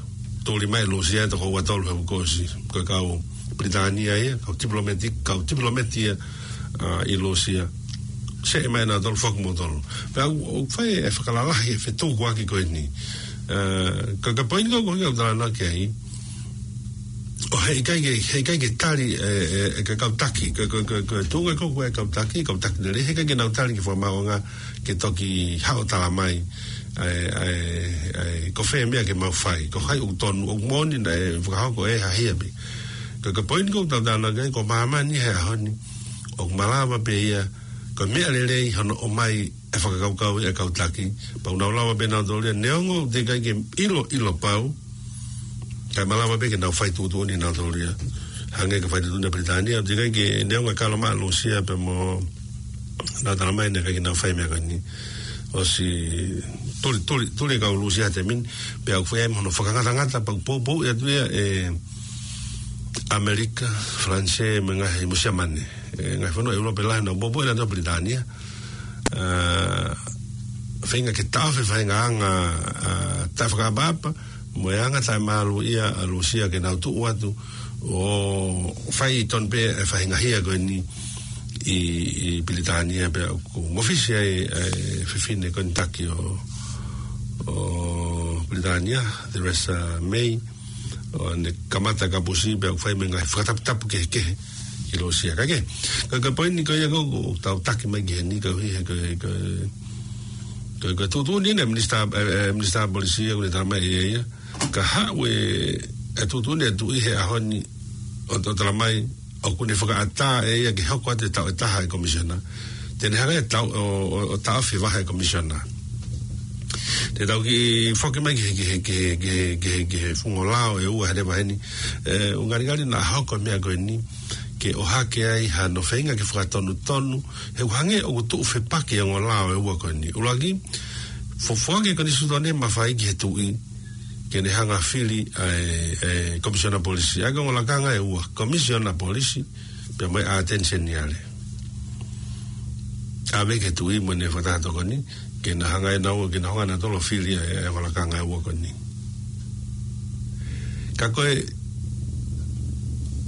tuli mai ʻe Lūsia e toko ua tolu he uike kuo ʻosi, ko e kau Pilitānia ia, kau tipilōmeti, kau tipilōmeti ia, ʻa, ʻi Lūsia. Seʻe mai nautolu, foki moutolu. Pea ʻoku, ʻoku fai e fakalalahi e fetukuaki ko eni. Ē, ka, ka poini ko, ko, ka talanoa ki ai. ʻO heʻikai ke, heʻikai ke tali, ē, ē, ē, ka kau taki, ka, ka, ka, ka tuʻunga ko, ko e kau taki, kau taki lele, heʻikai ke nau tali ki he fakamaauʻanga ke toki haʻu ʻo tala mai, ē, ē, ē, ko fē meʻa ke mau fai, ko hai ʻoku tonu, ʻoku moʻoni naʻe fakahoko ʻe ha hia pē. Ka, ka poini ko, ka talanoa ki ai, ko māmani he ʻaho ni, ʻoku malava pē ia, ko e meʻa lelei hono ʻomai ʻe he fakakaukau ʻa e kau taki, pea ʻoku nau lava pē nautolu ia, neongo ʻoku teʻeki ai ke ʻilo, ʻilo pau, kae malava pē ke nau fai tuʻutuʻuni nautolu ia. Hangē ko e fai tuʻutuʻuni ʻa Pilitānia, ʻoku teʻeki ai ke, neongo e kalo mai ʻa Lūsia pea mo nau tala mai naʻe ʻikai ke nau fai meʻa ko eni. ʻOsi tuli, tuli, tuli e kau Lūsia he taimi ni, pea ʻoku fai ai mo hono fakangatangata, pea ʻoku poupou atu ia ʻe ʻAmelika, Falanisē, mo e ngaahi, mo Siamane. Ē, ngaahi fonua ʻEulope lahi naʻa nau poupou ʻe nautolu ʻa Pilitānia. Ā, feinga ke taʻofi e faʻahinga anga, ā, taʻefakaʻapaʻapa, mo e anga taʻemāluʻia ʻa Lūsia ke nau tuʻu atu ʻo fai tonu pē e faʻahinga hia ko eni ʻi, ʻi Pilitānia pea ʻoku mafisi ai e fefine ko eni taki ʻo, ʻo Pilitānia, Theresa May, ʻo ne kamata kapusi pea ʻoku fai mo e ngaahi fakataputapu kehekehe ki Lūsia. Ka ke, ka, ka poini ko ia ko, ko tau taki mai ki heni, ka hui he, ka, ka, ka, ka tuʻutuʻuni ʻe he minisitā, ē, ē, minisitā polisi ʻoku ne tala mai ʻe ia. Ka haʻu e, e tuʻutuʻuni e tuʻi he ʻaho ni ʻo, ʻo tala mai, ʻoku ne fakaʻatā ʻe ia ke hoko atu e taʻu ʻe taha e komisiona. Te ne hanga ʻe ia ʻo, ʻo, ʻo taʻofi e vahe e komisiona. Te tau kiʻi foki mai ki he, ki he, ki he, ki he, ki he, ki he funga lao ʻe ua he leva heni. Ē, ʻoku ngalingali naʻa hoko e meʻa ko eni ke ʻohake ai hano feinga ke fakatonutonu, he ʻoku hangē ʻoku tuʻu fepaki e ongo lao ʻe ua ko eni. ʻUluaki, fo-, foaki e konisitūtone mafai ki he tuʻi ke ne hanga fili ʻa e, e komisiona polisi. ʻA ia ko e ongo lakanga ʻe ua, komisiona polisi, pea mo e ʻAteni Seniale. ʻAve ki he tuʻi mo ʻene fakataha tokoni, ke na hanga ʻe naua, ke na hanga ʻe nautolu ʻo fili ʻa e, e ongo lakanga ʻe ua ko eni. Ka ko e,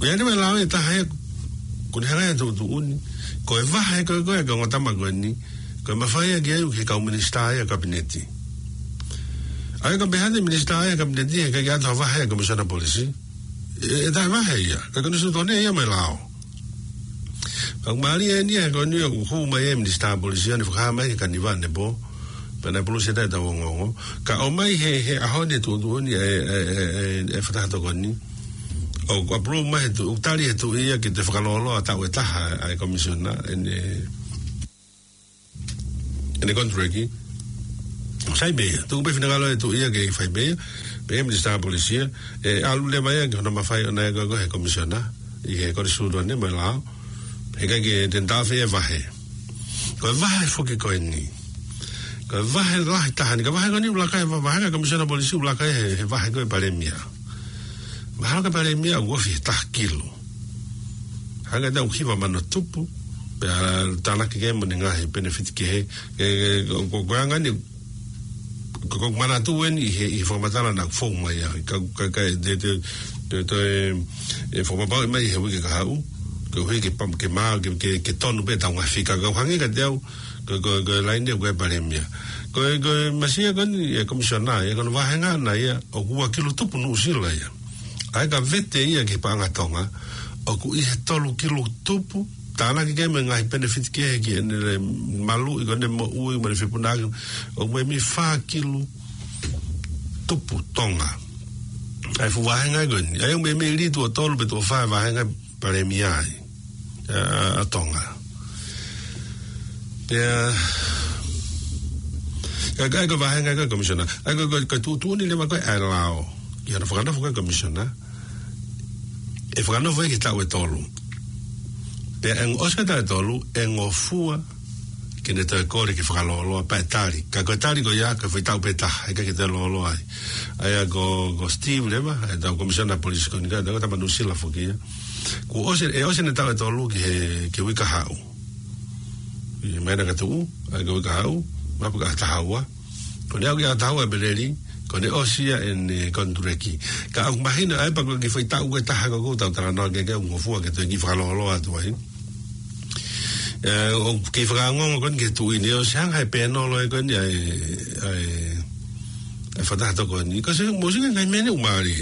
ʻoku ʻi ai mo e lao ʻe taha ʻoku ne hanga ʻe ia ʻo tuʻutuʻuni, ko e vahe ko ē ko ē ʻa e ongo tama ko eni, ko e mafai ia ke ʻai ki he kau minisitā ia ʻa e kapineti. ʻA ia ka pehē atu e minisitā ia ʻa e kapineti, heʻikai ke ʻoatu ha vahe ʻa e komisiona polisi, ʻe, ʻe taʻevahe ia, ka ko e konisitūtone ia mo e lao. Ka ʻoku mālie eni he ko eni ʻoku hū mai e minisitā polisi ʻo ne fakahā mai ki he Kaniva ʻanepō, pea naʻe pulusi ʻe taha ʻetau ongoongo. Ka ʻomai he, he ʻaho ni e tuʻutuʻuni ʻa e, e, e, e, e fakataha tokoni. ʻOku approve mai he tuʻi, ʻoku tali he tuʻi ia ke toe fakalōloa taʻu ʻe taha ʻa e komisiona, ʻene, ʻene konituleki. Sai pē ia, tuku pē finangalo e tuʻi ia ke fai pē ia, pea minisitā polisi ia, ʻe ʻalu leva ia ki hono mafai ʻona ia ko ē ko e komisiona, ʻi he konisitūtone mo e lao, heʻikai ke ne taʻofi e vahe. Ko e vahe foki ko eni. Ko e vahe lahi taha ni, ko e vahe ko eni ʻoku laka ai e va-, vahe ʻa e komisiona polisi ʻoku laka ai he, he vahe ko ē ʻa e palēmia. Mahalo ko e palēmia ʻoku ofi he taha kilu. Hangē ʻoku hiva mano tupu, pea tānaki ki ai mo ʻene ngaahi penefiti kehe, ʻe, ʻe, ko, ko, ko e anga eni, ko, ko e manatu eni ʻi he, ʻi he fakamatala naʻe fou mai ai, ka, ka, ka, te, te, te, te, ʻe, ʻe fakapapauʻi mai he uike kahaʻu, koeʻuhi ke pam-, ke mā, ke, ke, ke tonu pē ʻetau ngaahi fika, ka ʻoku hangē kiate au, ko, ko, ko e laine ko ē ʻa e palēmia. Ko e, ko e masiʻi ko eni e komisiona, ʻa ia ko hono vāhenga ʻana ia, ʻoku ua kilu tupu Nuʻusila ia. ʻA ia ka vete ia ki he paʻanga Tonga, ʻoku ʻi he tolu kilu tupu, tānaki ki ai mo e ngaahi penefiti kehe ki heʻene maluʻi ko ē ʻene moʻui, mo ʻene fepuna, ʻoku ʻi he meimei fā kilu tupu Tonga. ʻA e fuʻu vāhenga ko eni. ʻA ia ʻoku meimei lī tuʻo tolu pe tuʻo fā e vāhenga palēmia ai ʻa, ʻa Tonga. Pea, ka, ka, ko e vāhenga ko ē ʻa e komisiona. ʻA ia ko, ko, ko e tuʻutuʻuni leva ko ē ʻa e lao ki hono fakanofo ko ē ʻa e komisiona, ʻe fakanofo ia ki he taʻu ʻe tolu. Pea ʻi he ʻosi e taʻu ʻe tolu, ʻe ngofua ke ne toe kole ke fakalōloa pea ʻe tali. Ka ko e tali ko ia, ko e foʻi taʻu pē taha, heʻikai ke toe lōloa ai. ʻA ia ko, ko Steve leva, ʻetau komisiona polisi ko eni, ka, ko e tama Nuʻusila foki ia. Kuo ʻosi, ʻe ʻosi ʻene taʻu ʻe tolu ki he, ki he uike kahaʻu. ʻI he māhina ka tuʻu, ʻa ia ko e uike kahaʻu, mapu ki he ʻaho taha ua. Ko ʻene aʻu ki he ʻaho taha ua ʻEpeleli, ko ʻene ʻosi ia ʻene konituleki. Ka ʻoku mahino ʻa e pea ko e kiʻi foʻi taʻu ko ē taha ko ē ʻoku tau talanoa ki ai, ʻoku ngofua ke toe kiʻi fakalōloa atu ai. Ē, ʻoku kiʻi fakaongoongo ko eni ki he tuʻi ni, ʻosi hanga ʻe he pēnolo ē ko eni ʻa e, ʻa e, e fakataha tokoni. Ka se mo sika ngai mene umari.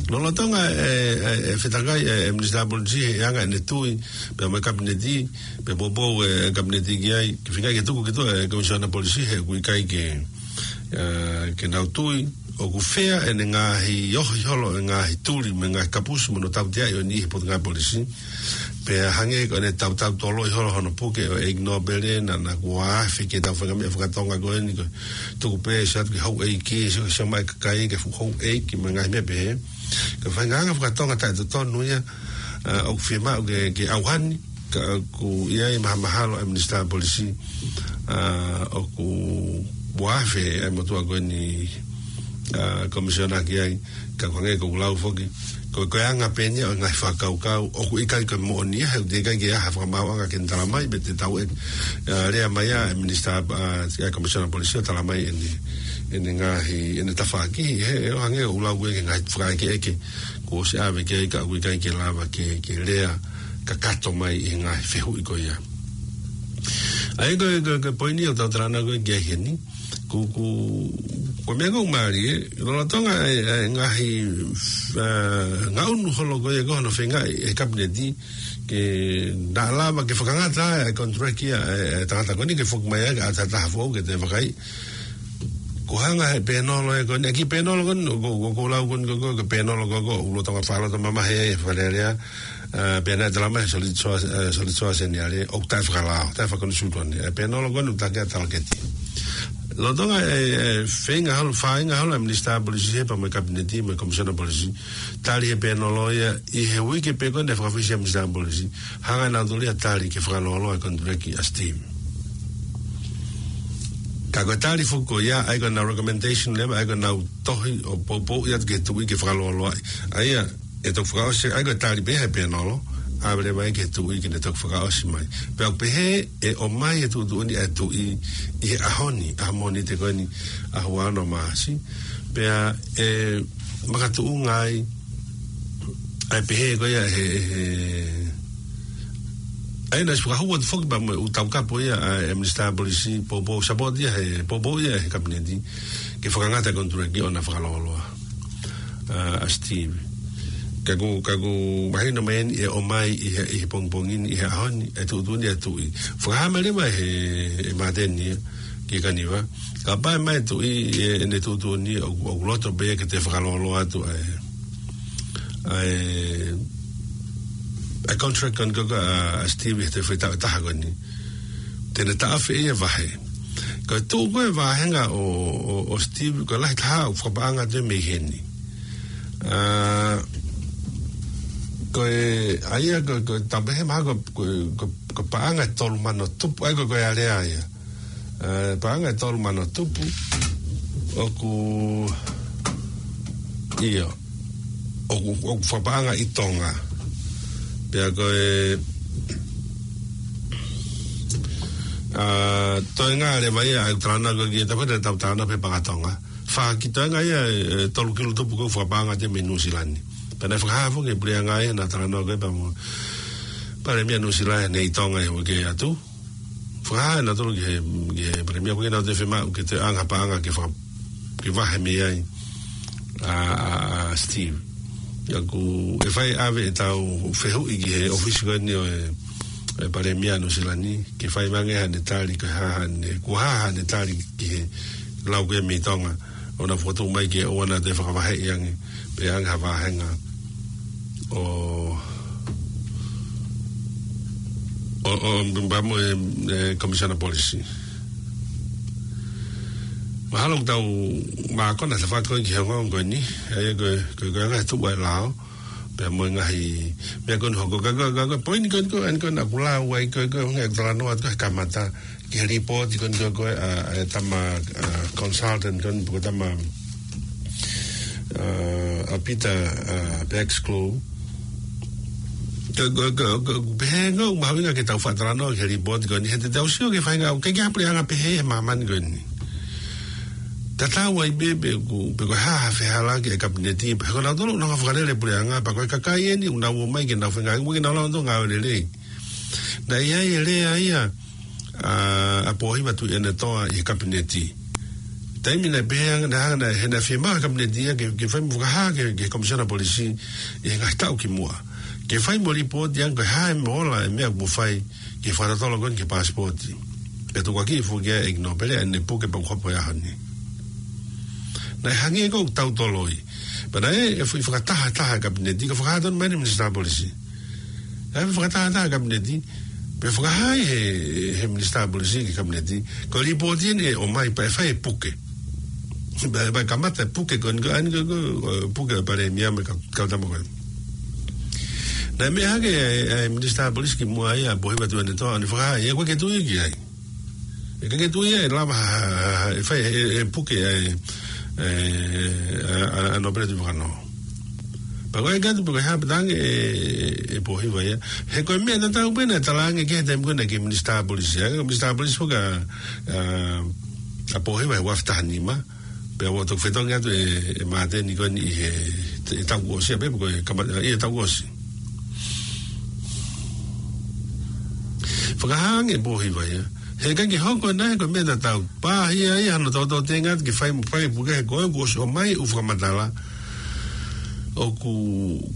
Lolotonga e, e, e fetakai e, e Minisitā Polisi he anga ʻene tui, pea mo e Kapineti, pea poupou e, e Kapineti ki ai, ke feinga ke tuku ki tuʻa e Komisiona Polisi he ʻoku ʻikai ke, e, ke nau tui, ʻoku fea ʻene ngaahi ohi holo e ngaahi tuli, mo e ngaahi kapusi, mo hono tautea ʻo e niʻihi he Potungāue Polisi. Pea hangē ko ʻene tautau toloi holo hono puke ʻo e ʻEiki Nōpele, naʻa, naʻa kuo afe ke tau fakameʻa fakatonga ko eni ko e tuku pē ʻe siʻi atu ke houʻeiki, ʻe siʻi, siʻi mai kakai ke fuʻu houʻeiki mo e ngaahi meʻa pehē. Ko e faʻahinga anga fakatonga taʻetotonu ia, a, ʻoku fiemaʻu ke, ke ʻauhani, ka ʻoku ʻi ai e mahamahalo e Minisitā Polisi, a, ʻoku ua afe e motuʻa ko eni, a, Komisiona ki ai, ka ko e hangē ko ʻeku lau foki. Ko, ko e anga pē eni ia ʻo e ngaahi fakakaukau, ʻoku ʻikai ko e moʻoni ia, he ʻoku teʻeki ai ke ʻi ai ha fakamaauʻanga ke ne tala mai, pe te tau e, a, lea mai ʻa e Minisitā, a, ʻa e Komisiona Polisi ʻo tala mai ʻene, ʻene ngaahi, ʻene tafaʻaki, he, he ʻoku hangē ʻoku lau ko ē ki he ngaahi fakaʻekeʻeke, kuo ʻosi ʻave ki ai ka ʻoku ʻikai ke lava ke, ke lea kakato mai ʻi he ngaahi fehuʻi ko ia. ʻA ia ko e, ko e, ko e poini ʻoku tau talanoa ko ē ki ai heni, ko, ko, ko e meʻa ʻoku mālie, lolotonga e, e ngaahi, e, ngaʻunu holo ko ē ko hono feingaʻi e Kapineti, ke naʻa lava ke fakangata e contract ia, e, e tangata ko eni ke foki mai ai, ʻa e taha foʻou ke toe vakai. Ko e hanga he pēnolo ē ko eni, ʻa e kiʻi pēnolo ko eni, ko, ko, ko e lau ko eni, ko, ko, ko e pēnolo ko, ko, ʻoku lolotonga fakalotolahi mai he, he Fale Alea, e, pea naʻe tala mai, solid source, e, solid source eni ale, ʻoku taʻe fakalao, taʻe fakakonsultone. E pēnolo ko eni, ʻoku taʻe ke talaketi. Lolotonga e, e, feinga holo, feinga holo e Minisitā Polisi he pea mo e Kapineti, mo e Komisiona Polisi, tali he pēnolo ia, ʻi he uike pē ko ē naʻe fakafisi ai e Minisitā Polisi, hanga ʻe nautolu ia ʻo tali ke fakalōloa e contract ʻa Steve. Ka ko e tali foki ko ia, ʻa ia ko ʻenau recommendation leva, ʻa ia ko ʻenau tohi ʻo poupouʻi atu ki he tuʻi ke fakalōloaʻi. ʻA ia, ʻe toki fakaʻosi, ʻa ia ko e tali pē ia he pēnolo, ʻave leva ia ki he tuʻi ke ne toki fakaʻosi mai. Pea ʻoku pehē ʻe ʻomai e tuʻutuʻuni ʻa e tuʻi ʻi he ʻaho ni, ʻaho Mōnite ko eni, ʻaho ua ono Maʻasi. Pea ʻe makatuʻunga ai, ʻa e pehē ko ia he, he, ʻa ia naʻe fakahū atu foki pea mo e ʻū taukapo ia ʻa e Minisitā Polisi, poupou, support ia he, poupou ia he Kapineti, ke fakangata e contract ʻo na fakalōloa, a, ʻa Steve. Ka ʻoku, ka ʻoku mahino mai eni ʻe ʻomai ʻi he, ʻi he pongipongi ni, ʻi he ʻaho ni, e tuʻutuʻuni ʻa e tuʻi. Fakahā mai leva he, he Māteni ia, ki he Kaniva. Kapau ʻe ʻomai e tuʻi, e, ʻene tuʻutuʻuni, ʻoku, ʻoku loto pē ia ke toe fakalōloa atu ʻa e, ʻa e, ʻa e contract ko eni ko, ko, ʻa, ʻa Steve he toe foʻi taʻu ʻe taha ko eni. Te ne taʻofi ia e vahe. Ko e tuʻu ko ē vāhenga ʻo, ʻo, ʻo Steve, ko e lahi taha ʻoku fakapaʻanga atu ia mei heni. A, ko e, ʻa ia ko, ko e tau pehē mahalo ko, ko, ko, ko e paʻanga ʻe tolu mano tupu, ʻa ia ko, ko e alea ia. E, paʻanga ʻe tolu mano tupu, ʻoku, ʻio, ʻoku, ʻoku fakapaʻanga ʻi Tonga. Pea ko e, a, toenga leva ia, ʻa ia ʻoku talanoa ko ē ki he tapu ʻe taha ʻoku talanoa pē paʻanga Tonga. Fā ki toenga ia, e, tolu kilu tupu ʻoku fakapaʻanga atu ia mei Nuʻusila ni. Pea naʻe fakahā foki ʻe he puleʻanga ia naʻa talanoa ko ē pea mo e Palēmia Nuʻusila ni ʻi Tonga he uike atu. Fakahā ʻe nautolu ki he, ki he Palēmia ko ē naʻa nau toe fiemaʻu ke toe ʻoange ha paʻanga ke faka-, ke vahe mei ai ʻa, ʻa, ʻa Steve. ʻA ia ʻoku, ʻe fai ʻave ʻetau fehuʻi ki he ʻōfisi ko eni ʻo e, e Palēmia Nuʻusila ni, ke fai mai ange haʻane tali, ko e hā haʻane, ko e hā haʻane tali ki he lau ko ē mei Tonga, ʻo na fokotuʻu mai ke ʻoua naʻa toe fakavaheʻi ange, pe ʻoange ha vāhenga ʻo, ʻo, ʻo, pea mo e, e, Komisiona Polisi. Mahalo ʻoku tau mākona ʻa e tafaʻaki ko ē ki he ongoongo ko eni, ʻa ia ko e, ko e, ko e anga e tuʻu ʻa e lao, pea mo e ngaahi meʻa ko eni hoko ka, ka, ka, ka, poini ko eni ko ē, eni ko ē naʻa ku lau ai ko ē, ko e ʻuhinga ʻeku talanoa atu ko ē he kamata, ki he lipooti ko eni ko ē, ko ē, ʻa, ʻa e tama, ʻa, consultant ko eni, ko e tama, ʻa, ʻa Peter, ʻa, Baxclaw. Ko, ko, ko, ko, pehē ange ʻoku mahuʻinga ke tau faʻa talanoa ki he lipooti ko eni, he te tau sio ki he faʻahinga, ʻoku ʻikai ke ʻi ai ha puleʻanga pehē he māmani ko eni. Tatau ai pē, pe ʻoku, pe ko e hā ha fehālaaki ʻa e Kapineti, pe ko nautolu ʻoku nau fakalele puleʻanga, pea ko e kakai eni ʻoku nau ō mai ke nau feinga, ʻoku nau lau ʻoku nau ngāue lelei. Naʻe ʻi ai e lea ia, ʻa, ʻa Pōhiva Tuʻiʻonetoa ʻi he Kapineti. Taimi naʻe pehē ange, naʻe hanga, naʻe, he naʻe fiemaʻu ʻe he Kapineti ia ke, ke fai mo fakahā ki he, ki he Komisiona Polisi ʻi he ngaahi taʻu ki muʻa, ke fai mo lipooti ange ko e hā e meʻa ola e meʻa kuo fai ki he fakatotolo ko eni ki he paasipooti. Pea tukuakiʻi foki ia ʻe ʻEiki Nōpele ʻa ʻene puke pea kuo hopo e ʻaho ni. Naʻe hangē ko ʻoku tautoloi. Pea naʻe, ʻe fai fakatahataha e Kapineti, ka fakahā tonu mai ʻe he Minisitā Polisi. Naʻe fai fakatahataha e Kapineti, pea fakahā ʻe he, he Minisitā Polisi ki he Kapineti, ko e lipooti eni ʻe ʻomai pea ʻe fai e puke. Pea, pea kamata e puke ko eni, ko eni ko, ko, ko e puke ʻa e Palēmia mo e kau, kau tama ko ē. Naʻe meʻa hake ʻa e, ʻa e Minisitā Polisi ki muʻa ia, Pōhiva Tuʻiʻonetoa, ʻo ne fakahā, ʻe ʻikai ke tui ki ai. ʻE ʻikai ke tui ia ʻe lava ha, ha, ha, ʻe fai, ʻe, ʻe puke ʻa e, ʻe, ʻa, ʻa, ʻa Nōpele Tuʻivakanō. Pea ko e ʻai atu pē ko e hā pē talaange ʻe, ʻe Pōhiva ia. He ko e meʻa tatau pē naʻe talaange ki he taimi ko ē naʻe ki he Minisitā Polisi. ʻA e Minisitā Polisi foki ʻa, ʻa, ʻa Pōhiva he ua afe taha nima. Pea ʻoku toki fetongi atu ʻe, ʻe Māteni ko eni ʻi he, ʻi he taʻu kuo ʻosi, ʻa pē ko e kama-, ʻi he taʻu kuo ʻosi. Fakahā ange ʻe Pōhiva ia. He ʻikai ke hoko ʻe naua ko e meʻa tatau. Pāhia ia hano tautau tenga atu ke fai mo fai puke he ko e kuo ʻosi ʻomai ʻū fakamatala. ʻOku,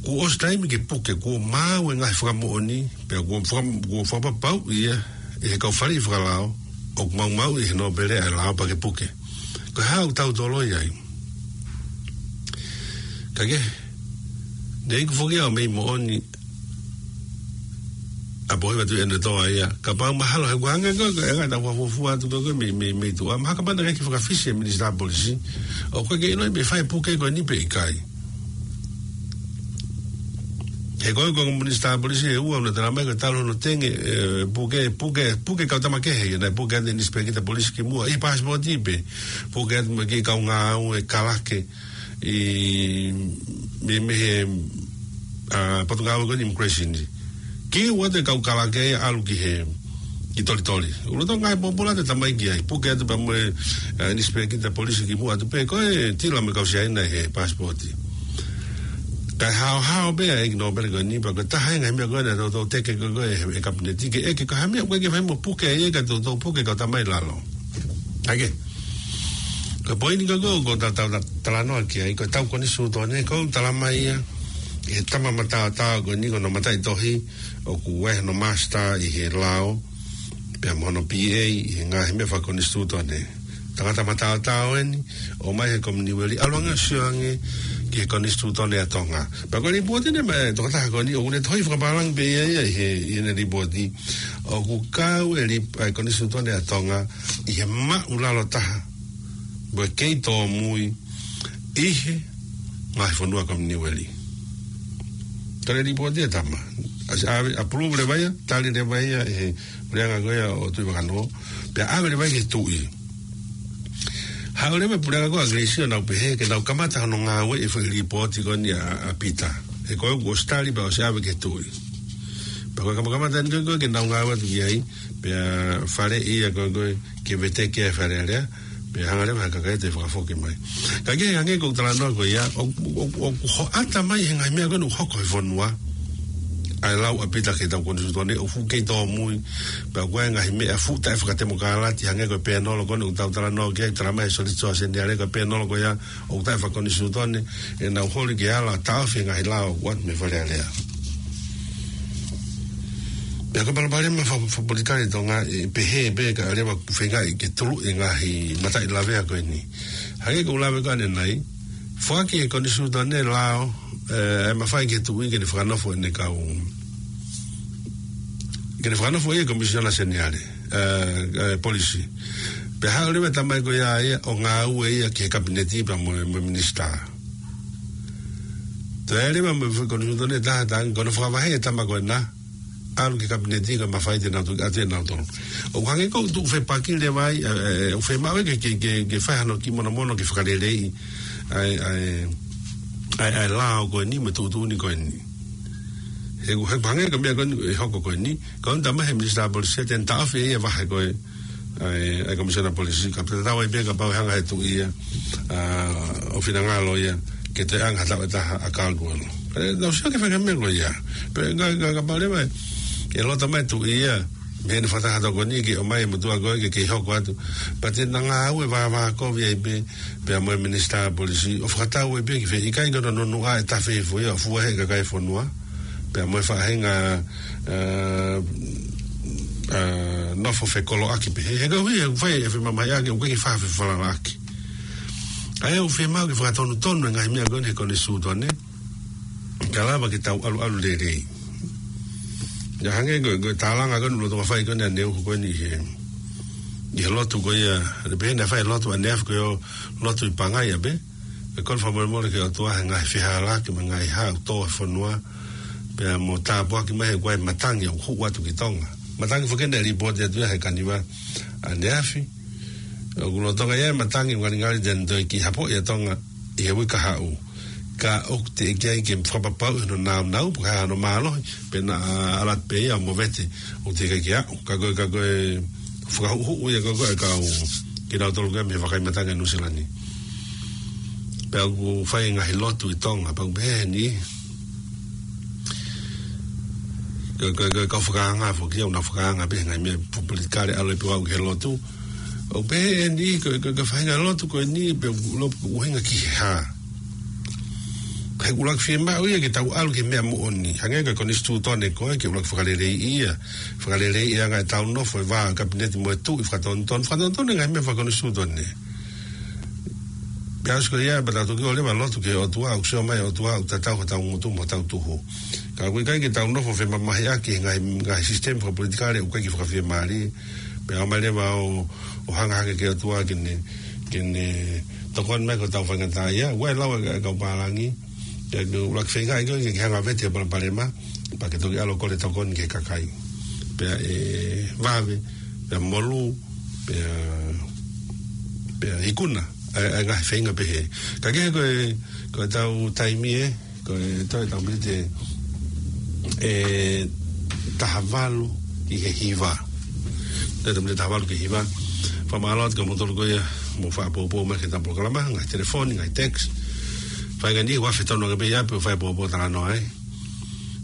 kuo ʻosi taimi ke puke, kuo maau e ngaahi fakamoʻoni, pea kuo faka-, kuo fakapapauʻi ia ʻe he kau faleʻi fakalao, ʻoku maumauʻi ʻe he Nōpele ʻa e lao pea ke puke. Ko e hā ʻoku tautoloi ai. Ka ke, ne iku foki ʻo mei moʻoni ʻa Pōhiva Tuʻiʻonetoa ia. Kapau mahalo he kuo hangē ko e, ko e ʻai atu ʻa e fuofua atu ko e, ko e mei, mei, mei tuʻa. Mahalo kapau naʻe ʻikai ke fakafisi e Minisitā Polisi, ʻoku ʻikai ke ʻilo pe ʻe fai puke ko eni pe ʻikai. He ko e, ko e Minisitā Polisi ʻe ua naʻe talamai ko e talu hono tenge, ʻe, puke, puke, puke kau tama kehe ia, naʻe puke atu e Inisipekita Polisi ki muʻa, ʻi he paasipooti pē, puke atu mo e kiʻi kau ngāue kalake, ʻi, mei, mei he, ʻa, potungāue ko eni immigration. Ke ʻoua te kau kalake ia ʻalu ki he, ki Tolitoli. ʻUluaki ngaahi pōpula te tamai ki ai. Puke atu pea mo e, ʻa, Inisipekita Polisi ki muʻa atu pē ko e tila mo e kau Siaina he paasipooti. Kae haohaoa pē ʻa e ʻEiki Nōpele ko eni pea ko e taha e ngaahi meʻa ko eni naʻe toutou teke ko e, ko e, ʻe he Kapineti ke ʻeke ko e hā e meʻa ʻoku ʻikai ke fai mo puke ai ka toutou puke kau tama ʻi lalo. ʻA ia ke. Ko e poini ko ē ʻoku ou ta-, ta-, ta-, talanoa ki ai, ko e tau konisitūtone, ʻoku talamai ia ʻe he tama mataotao ko eni ko hono mataʻitohi, ʻoku ʻi ai hono master ʻi he lao, pea mo hono B A ʻi he ngaahi meʻa fakakonisitūtone. Tangata mataotao eni, ʻomai he Kominiueli, ʻalu ange ʻo sio ange ki he konisitūtone ʻa Tonga. Pea ko e lipooti eni mei he tokotaha ko eni, ʻoku ne tohi fakapālangi pē ia ia ʻi he, ʻi heʻene lipooti. ʻOku kau e lip-, ʻa e konisitūtone ʻa Tonga ʻi he māʻulalo taha mo e kei tōmui ʻi he ngaahi fonua Kominiueli. Tali lipooti e tama. ʻAsi ʻave, approve leva ia, tali leva ia ʻe he puleʻanga ko ia ʻo Tuʻivakanō, pea ʻave leva ia ki he tuʻi. Haʻu leva e puleʻanga ko ia ʻAkilisi ʻo nau pehē ke nau kamata hono ngāueʻi e foʻi lipooti ko eni ʻa, ʻa Pita. He ko e kuo ʻosi tali pea ʻosi ʻave ki he tuʻi. Pea ko e kamakamata eni ko ē ko ē ke nau ngāue atu ki ai, pea faleʻi ia ko ē ko ē ke veteki ʻa e Fale Alea, pea hanga leva ʻe he kakai ʻe toe fakafoki mai. Ka ke hangē ko e talanoa ko ia, ʻo, ʻo, ʻo, ʻoku hoʻata mai he ngaahi meʻa ko eni ʻoku hoko he fonua. ʻA e lau ʻa Pita ki he tau konisitūtone, ʻoku fuʻu kei tōmui, pea ʻoku ʻi ai e ngaahi meʻa fuʻu taʻefakatemokalati, hangē ko e pēnolo ko eni ʻoku tau talanoa ki ai, talamai ʻe Sōlitō Seniale ko e pēnolo ko ia, ʻoku taʻefakakonisitūtone, ʻenau holi ke ala taʻofi e ngaahi lao ʻoku ʻoatu mei Fale Alea. Pea ko e palopalema fa-, fakapolitikale ʻi Tonga, ʻe pehē pē ka leva feingaʻi ke tuluʻi e ngaahi mataʻi lavea ko eni. Hangē ko e lave ko ē ʻanenai, foaki ʻe he konisitūtone lao, ʻe, ʻe mafai ki he tuʻi ke ne fakanofo ʻene kau, ke ne fakanofo ia e Komisiona Seniale, ʻe, ʻe, Polisi. Pea haʻu leva e tamai ko ia ia ʻo ngāue ia ki he Kapineti pea mo, mo e Minisitā. Toe leva mo e foʻi konisitūtone ʻe taha, taha ange, ko hono fakavaheʻi e tama ko ena, ʻalu ki he Kapineti kae mafai te nau tuki atu ʻe nautolu. ʻOku hangē ko e tuʻu fepaki leva ai, ʻe, ʻe, ʻe, ʻoku fiemaʻu ke, ke, ke, ke fai hano kiʻi monomono ke fakaleleiʻi ʻa e, ʻa e, ʻa e, ʻa e lao ko eni mo e tuʻutuʻuni ko eni. He, he hangē ko e meʻa ko eni ʻe hoko ko eni, ko eni talamai ʻe he Minisitā Polisi te ne taʻofi ʻe ia e vahe ko ē ʻa e, ʻa e Komisiona Polisi, ka tatau ai pē kapau ʻe hanga ʻe he tuʻi ia, ʻa, ʻo finangalo ia ke toe ʻanga ha taʻu ʻe taha ʻa Caldwell. ʻE, tau sio ki he faʻahinga meʻa ko ia. Pea ka, ka, kapau leva ʻe, ʻe loto mai e tuʻi ia, Meʻa ni fakataha tokoni ke ʻomai e motuʻa ko ē ke kei hoko atu. Pea te na ngāue vāvākovi ai pē, pea mo e minisitā polisi, ʻo fakatau ai pē ki fē, ʻikai ke na nunu ʻa e tafe foʻi ʻo fua he kakai fonua. Pea mo e faʻahinga, ā, ā, nofo fekoloʻaki pē. He, he koeʻuhi, he fai e femamahiʻaki, ʻoku ʻikai ke faʻa fefalalaʻaki. ʻA ia ʻoku fiemaʻu ke fakatonutonu e ngaahi meʻa ko eni he konisitūtone. Ka lava ke tau ʻaluʻalu lelei. ʻIa hangē ko e, ko e tālanga ko eni ʻoku lolotonga fai ko eni ʻaneuhu ko eni ʻi he, ʻi he lotu ko ia, ʻe pehē naʻe fai lotu ʻaneafi ko e ʻo lotu ʻi Pangai ʻapē. ʻE kole fakamolemole ki he ʻOtua he ngaahi fehālaaki mo e ngaahi hā ʻoku tō he fonua. Pea mo tāpuaki mai he ʻoku ʻi ai e matangi ʻoku hū atu ki Tonga. Matangi foki eni naʻe lipooti atu ia he Kaniva ʻaneafi. ʻOku lolotonga ia e matangi ngalingali te ne toe kiʻi hapoʻi ʻa Tonga ʻi he uike kahaʻu. Ka ʻoku teʻeki ai ke fakapapauʻi hono nāunau, pe ko e hā hono mālohi, pea naʻa ala pē ia ʻo movete, ʻoku teʻeki ai ke aʻu. Ka ko e, ka ko e fakahuʻuhuʻu ia ko ē ʻa e kau, kinautolu ko ē mei he vakai matangi ʻa Nuʻusila ni. Pea ʻoku fai e ngaahi lotu ʻi Tonga, pea ʻoku pehē ni. Ko e, ko e, ko e kau fakaanga foki ia, ʻoku nau fakaanga pē he ngaahi meʻa fakapolitikale ʻalu ai pē ʻo aʻu ki he lotu. ʻOku pehē ni, ko e, ko e, ko e faʻahinga lotu ko eni, pea ʻoku lolotonga ʻuhinga ki he hā. He ʻoku ʻuluaki fiemaʻu ia ke tau ʻalu ki he meʻa moʻoni. Hangē ko e konisitūtone ko ē, ke ʻuluaki fakaleleiʻi ia. Fakaleleiʻi ʻa e anga ʻetau nofo, e vā kapineti mo e tuʻi, fakatonutonu, fakatonutonu e ngaahi meʻa fakakonisitūtone. Pea ʻosi ko ia, pea tau toki ʻalu leva ʻo lotu ki he ʻOtua, ʻoku sio mai e ʻOtua, ʻoku tatau hotau ngutu mo hotau tuhu. Ka ʻoku ʻikai ke tau nofo femamahiʻaki he ngaahi, ngaahi sisitemi fakapolitikale ʻoku ʻikai ke fakafiemālie. Pea ʻomai leva ʻo, ʻo hanga hake ki he ʻOtua ke ne, ke ne tokoni mai ki hotau faingataʻaʻia. ʻOku ʻi ai e lau ʻa e kau pālangi. Pea ʻoku ʻuluaki feinga ia ke, ke hanga ʻo vete e palopalema. Pea ke toki ʻalu ʻo kole tokoni ki he kakai. Pea ʻe vave, pea molū, pea, pea ikuna, ʻa e, ʻa e ngaahi feinga pehē. Ka kehe ko e, ko ʻetau taimi ē, ko e toe ʻetau miniti ʻe taha valu ki he hiva. Toe ʻetau miniti ʻe taha valu ki he hiva. Fakamālō atu kia moutolu ko ia, mou fakapoupou mai ki heʻetau polokalama, ngaahi telefoni, ngaahi text. Fai ngaahi ʻuhinga fetonu ake pē ia pē ʻo fai poupou talanoa ai.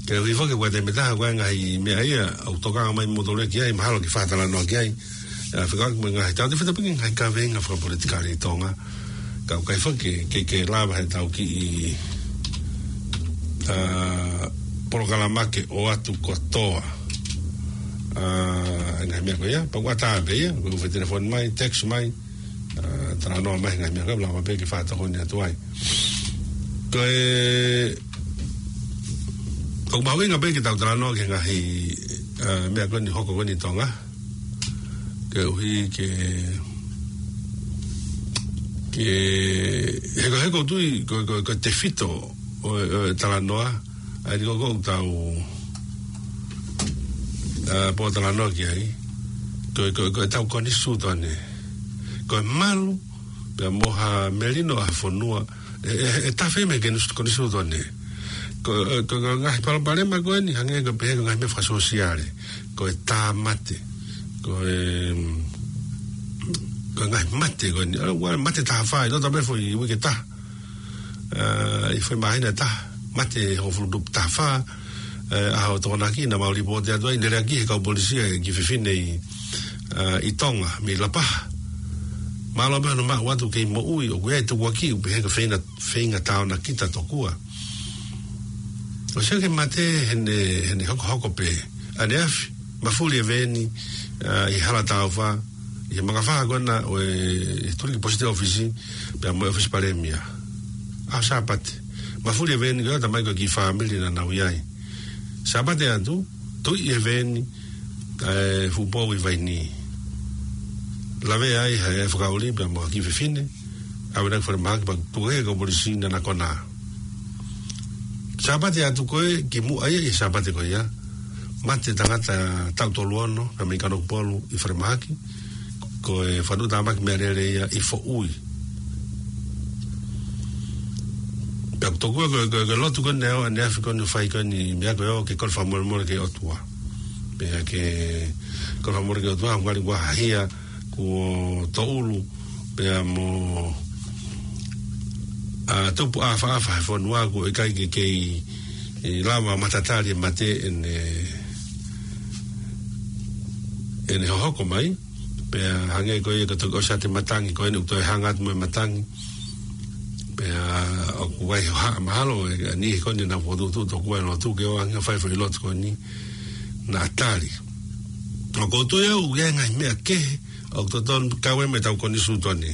Ke u hifo ke ʻoatu e meʻa ʻe taha, ko e ngaahi meʻa ia ʻoku tokanga mai moutolu ki ai, mahalo ke fakatalanoa ki ai. ʻA, fekauʻaki mo e ngaahi, tau te fetapingi ngaahi kaveinga fakapolitikale ʻi Tonga. Ka ʻoku ʻikai foki ke, ke, ke lava heʻetau kiʻi, ā, polokalama ke ʻoatu kotoa. Ā, e ngaahi meʻa ko ia, pea ʻoku ʻatā pē ia, ko e fai telefoni mai, text mai, ā, talanoa mai he ngaahi meʻa ko ē, lava pē ke fakatokoni atu ai. Ko e, ʻoku mahuʻinga pē ke tau talanoa ki he ngaahi, ā, meʻa ko eni hoko ko eni ʻi Tonga. Koeʻuhi ke, ke, he ko, he ʻoku ou tui, ko, ko, ko e tefito ʻo, ʻo e talanoa, ʻa eni ko, ko ʻetau, ā, pōtalanoa ki ai, ko, ko, ko ʻetau konisitūtone. Ko e malu, pea mo ha melino ʻa e fonua, ʻe, ʻe, ʻe tafe mei he konis-, konisitūtone. Ko, ē, ko, ko e ngaahi palopalema ko eni, hangē ko e pehē ko e ngaahi meʻa fakasōsiale. Ko e tāmate. Ko e, mm, ko e ngaahi mate ko eni. ʻA, ua mate taha fā, ʻi he taha pē foʻi uike ʻe taha. Ā, ʻi he foʻi māhina ʻe taha, mate hongofulu tupu taha fā, ē, ʻaho Tokonaki naʻa mau lipooti atu ai, ne lea ki he kau polisi ʻa e kiʻi fefine ʻi, ā, ʻi Tonga, mei Lapaha. Mālō pē hono maʻu atu kei moʻui, ʻoku ʻi ai e tukuakiʻi, ʻoku pehē ko e feinga, feinga taonakita tokua. ʻOsi ia ke mate heʻene, heʻene hokohoko pē, ʻaneafi, mafuli e veeni, ā, ʻi Halataufa, ʻi he makafaha ko ena ʻo e, ʻi he Tuliki Post Office, pea mo e ʻOfisi Palēmia. ʻAho Sāpate. Mafuli e veeni ko ia, talamai ko e kiʻi fāmili naʻa nau ʻi ai. Sāpate atu, tuʻi e veeni, ʻa e fuʻu pou ʻi Vainī. Lavea ai ʻe he fakaʻuli pea mo e kiʻi fefine, ʻave ki falemahaki pea tuku ki he kau polisi naʻa na konā. Sāpate atu ko ē, kimuʻa ia ʻi he Sāpate ko ia, mate tangata taʻu tolu ono, pea mei Kanokupolu ʻi falemahaki, ko e fakatamaki meʻalele ia ʻi Foʻui. Pea ʻoku tokua ko e, ko e, ko e lotu ko eni ʻo ʻaneafi ko eni ʻoku fai ko eni meʻa ko ē ʻo ke kole fakamolemole ki he ʻOtua. Pea ke kole fakamolemole ki he ʻOtua, ngali kuo hahia, kuo toulu, pea mo, ā, tupu ʻāfaʻafa he fonua, ʻoku ʻikai ke kei, ē, lava matatali e mate ʻene, ʻene hohoko mai, pea hangē ko ia ka toki ʻosi ʻa e matangi, ko eni ʻoku toe hanga atu mo e matangi. Pea ʻoku ʻi ai ha mahalo ʻe, ʻa e niʻihi ko eni naʻa nau fokotuʻutuʻu tokua e lotu ke ʻoange ha fai foʻi lotu ko eni naʻa tali. ʻOku ou tui au ʻoku ʻi ai e ngaahi meʻa kehe ʻoku totonu ke kau ai mo ʻetau konisitūtone.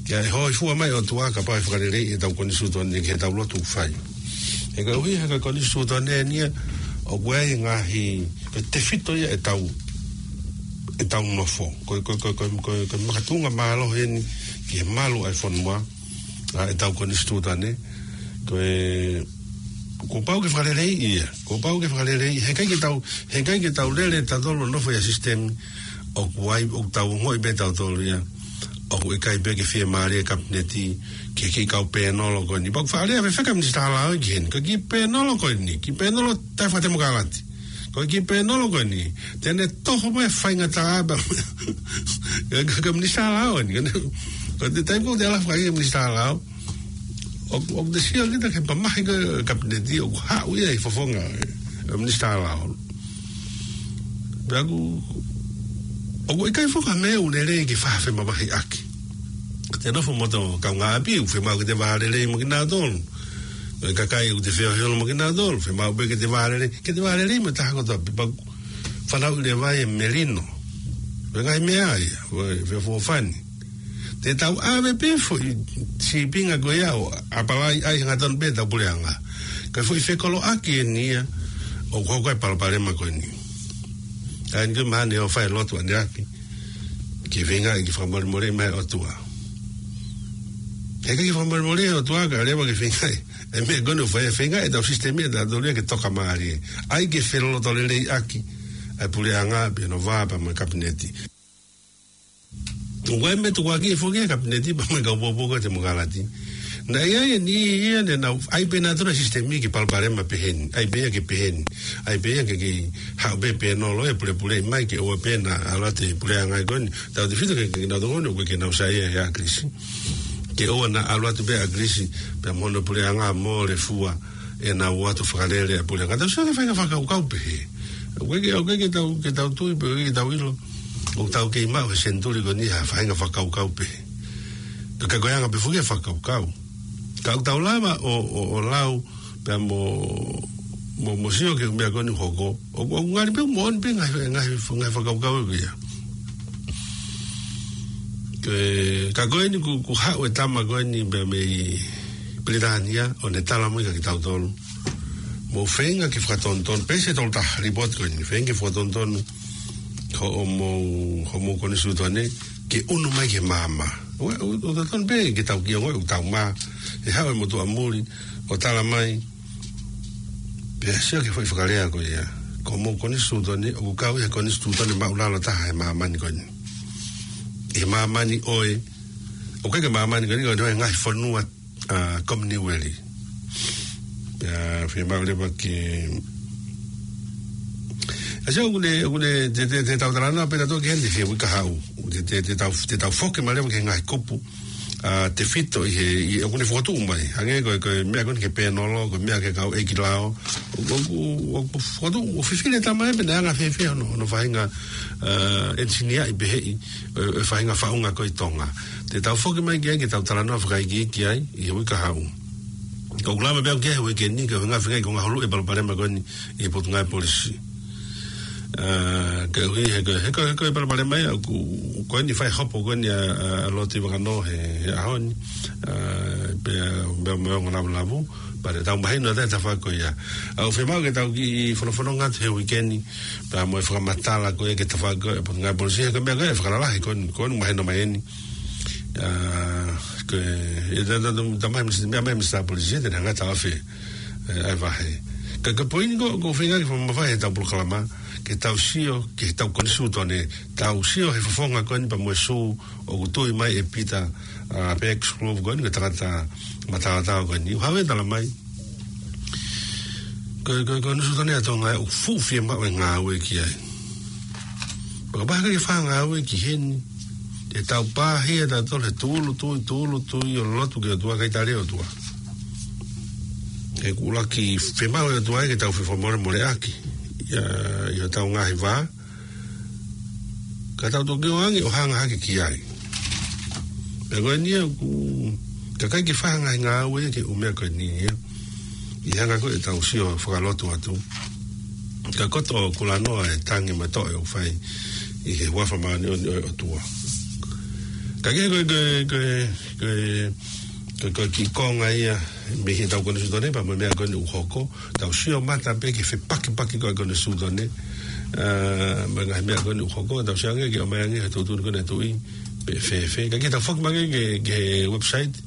Ke ʻai hōifua mai ʻOtua kapau ʻe fakaleleiʻi ʻetau konisitūtone ki heʻetau lotu ʻoku fai. He koeʻuhi he ko e konisitūtone eni ia ʻoku ʻi ai e ngaahi, ko e tefito ia ʻetau, ʻetau nofo. Ko e, ko e, ko e, ko e, ko e, ko e makatuʻunga mālohi eni ki he malu ʻa e fonua, ʻa ʻetau konisitūtone. Ko e, kuo pau ke fakaleleiʻi ia, kuo pau ke fakaleleiʻi, he ʻikai ke tau, he ʻikai ke tau lele tautolu ʻo nofo ʻi ha sisitemi ʻoku ʻi ai, ʻoku tau ongoʻi pē tautolu ia ʻoku ʻikai pē ke fiemālie e kapineti ki he kiʻi kau pēnolo ko eni. Pea ʻoku faʻa lea fefeka Minisitā Lao ki heni, ko e kiʻi pēnolo ko eni, kiʻi pēnolo taʻefakatemokalati. Ko e kiʻi pēnolo ko eni te ne toho mai e faingataʻa pē. Ka, ka, ka Minisitā Lao eni, ka ne, ko e taimi ko ē te ala fakaʻi e Minisitā Lao, ʻoku, ʻoku te sio kita ki he mamahi ko ē e kapineti ʻoku haʻu ia ʻi he fofonga e, e Minisitā Lao. Pea ʻoku, ʻoku ʻikai foki ha meʻa ʻoku lelei ke faʻa femamahiʻaki. Te nofo mo hoto kaungāʻapi, ʻoku fiemaʻu ke te vālelei mo kinautolu. Ko e kakai ʻoku te feohi holo mo kinautolu, fiemaʻu pē ke te vālelei, ke te vālelei mo e taha kotoa pē. Pea ʻoku fanauʻi leva e melino. Ko e ngaahi meʻa ia, ko e feʻofoʻofani. Te tau ʻave pē foʻi sīpinga ko ia ʻo apalai ai hangatonu pē ʻetau puleʻanga. Ka foʻi fekoloʻaki eni ia ʻoku hoko ai e palopalema ko eni. ʻA eni ko e mahalo ʻe fai e lotu ʻaneafi ke feingaʻi ke fakamolemoleʻi mai ʻOtua. He ʻikai ke fakamolemoleʻi ʻOtua ka leva ke feingaʻi e meʻa ko eni ʻo fai, feingaʻi ʻetau sisitemi ʻatautolu ia ke tokamālie. ʻAi ke felolotoleleiʻaki ʻa e puleʻanga pea nofo pea mo e kapineti. ʻOku ʻi ai e meʻa tukuakiʻi foki ʻe he kapineti pea mo e kau puapuako e temokalati. Naʻe ʻi ai e niʻihi ia ne nau ʻai pē nautolu e sisitemi ke palopalema pehē ni, ʻai pē ia ke pehē ni, ʻai pē ia ke, ke haʻu pē pēnolo ia ʻo pulepuleʻi mai ke ʻoua pē naʻa ʻalu atu e puleʻanga ko eni. Tautefito ki he, ki he kinautolu ko eni ʻoku ʻikai ke nau saiʻia ʻia ʻAkilisi, ke ʻoua naʻa ʻalu atu pē ʻa ʻAkilisi pea mo hono puleʻanga ʻo mole fua ʻenau ō atu ʻo fakalele ʻa e puleʻanga. Tau sio ki he faʻahinga fakakaukau pehē. ʻOku ʻikai ke, ʻoku ʻikai ke tau, ke tau tui pe ʻoku ʻikai ke tau ʻilo ʻoku tau kei maʻu he senituli ko eni ha faʻahinga fakakaukau pehē. Ka ko e anga pē foki e fakakaukau. Ka ʻoku tau lava ʻo, ʻo, ʻo lau pea mo, mo, mo sio ki he meʻa ko eni ʻoku hoko. ʻOku, ʻoku ngali pē ʻoku moʻoni pē ngaahi, ngaahi, ngaahi fakakaukau ʻoku ʻi ai. Ke, ka ko eni kuo, kuo haʻu e tama ko eni pea mei Pilitānia ʻo ne tala mai kia kitautolu. Mou feinga ke fakatonutonu, page tolu taha, lipooti ko eni, feinga ke fakatonutonu hoʻomou, hoʻomou konisitūtone ke ʻunu mai ki he maama. ʻOku, ʻoku, ʻoku totonu pē ke tau kiʻi ongoʻi ʻoku tau mā, ʻe haʻu e motuʻa muli ʻo tala mai, pea sio ki he foʻi fakalea ko ia. Ko homou konisitūtone ʻoku kau ʻi he konisitūtone māʻulalo taha he māmani ko eni. He māmani ʻo e, ʻoku ʻikai ke māmani ko eni, ko e ngaahi fonua, ʻa, Kominiueli. Pea fiemaʻu leva ke, ʻa, sio, ʻoku ne, ʻoku ne, te, te, te tau talanoa pē tautolu ki heni he uike kahaʻu. Te, te, te tau, te tau foki mai leva ki he ngaahi kupu, ʻa, tefito ʻi he, ʻi, ʻoku ne fokotuʻu mai. Hangē ko e, ko e meʻa ko eni ki he pēnolo, ko e meʻa ki he kau ʻeiki lao. ʻOku, ʻoku, ʻoku fokotuʻu, ʻoku fifili e tama ia pe naʻe anga fēfē hono, hono faʻahinga, ʻa, ʻenisiniaʻi peheʻi e, e faʻahinga faʻunga ko ē ʻi Tonga. Te tau foki mai ki ai ke tau talanoa fakaikiiki ai ʻi he uike kahaʻu. Ka ʻoku lava pē au ki ai he uike ni, ka ʻoku ngaahi feinga ko e ngaahi hulu e palopalema ko eni ʻi he Potungāue Polisi. ʻA, koeʻuhi he ko e, he ko e, he ko e palopalema ia ʻoku, ko eni fai hopo ko eni ʻa, ʻa, ʻa Lord Tuʻivakanō he, he ʻaho ni. ʻA, pea, pea mo e ongo lavulavu, pea te tau mahino atu e tafaʻaki ko ia. ʻOku fiemaʻu ke tau kiʻi fonofononga atu he uike ni, pea mo e fakamatala ko ia ki he tafaʻaki ko ē ʻa e Potungāue Polisi, he ko e meʻa ko ē ʻe fakalalahi ko eni, ko eni mahino mai eni. ʻA, ko e, ʻe ta, ta, ta, ta mai misi, meʻa mai Minisitā Polisi, te ne hanga ʻo taʻofi ʻa e, ʻa e vahe. Ka, ka ko e poini ko, ʻoku ou feinga ke fakamamafaʻi heʻetau polokalama, ke tau sio ki heʻetau konisitūtone, tau sio he fofonga ko eni pea mo e sū ʻoku tui mai ʻe Pita, ʻa, Peeki Sikulofu ko eni, ko e tangata mataotao ko eni. ʻOku hā e tala mai ko e, ko e, ko e konisitūtone ʻa Tonga ʻoku fuʻu fiemaʻu e ngāue ki ai. Pea kapau ʻe ʻikai ke fai ha ngāue ki heni, te tau pāhia tautolu he tūʻulutui, tūʻulutui ʻo lotu ki he ʻOtua kae ʻikai tali e ʻOtua. He ʻoku ʻuluaki fiemaʻu ʻe he ʻOtua ia ke tau fefakamolemoleʻaki ʻi, ʻi hotau ngaahi vā. Ka tau toki ō ange ʻo hanga hake ki ai. Pea ko eni ia ʻoku, ka ʻikai ke fai ha ngaahi ngāue ia ki he ʻū meʻa ko eni ia. ʻI he anga ko ē ʻetau sio fakalotu atu. Ka ko e toʻo kulanoa e tangi mo e toʻe ʻoku fai ʻi he huafa māʻoniʻoni ʻo e ʻOtua. Ka ko e, ko e, ko e, ko e, ko e, ko e, ko e kiʻi konga ia mei heʻetau konisitūtone pea mo e meʻa ko eni ʻoku hoko. Tau sio mata pē ki he fepakipaki ko ē konisitūtone. ʻA, mo e ngaahi meʻa ko eni ʻoku hoko. Tau sio ange ki ʻomai ange he tuʻutuʻuni ko eni ʻa e tuʻi pe fēfē. Ka ke tau foki mai ange ki he, ki he website.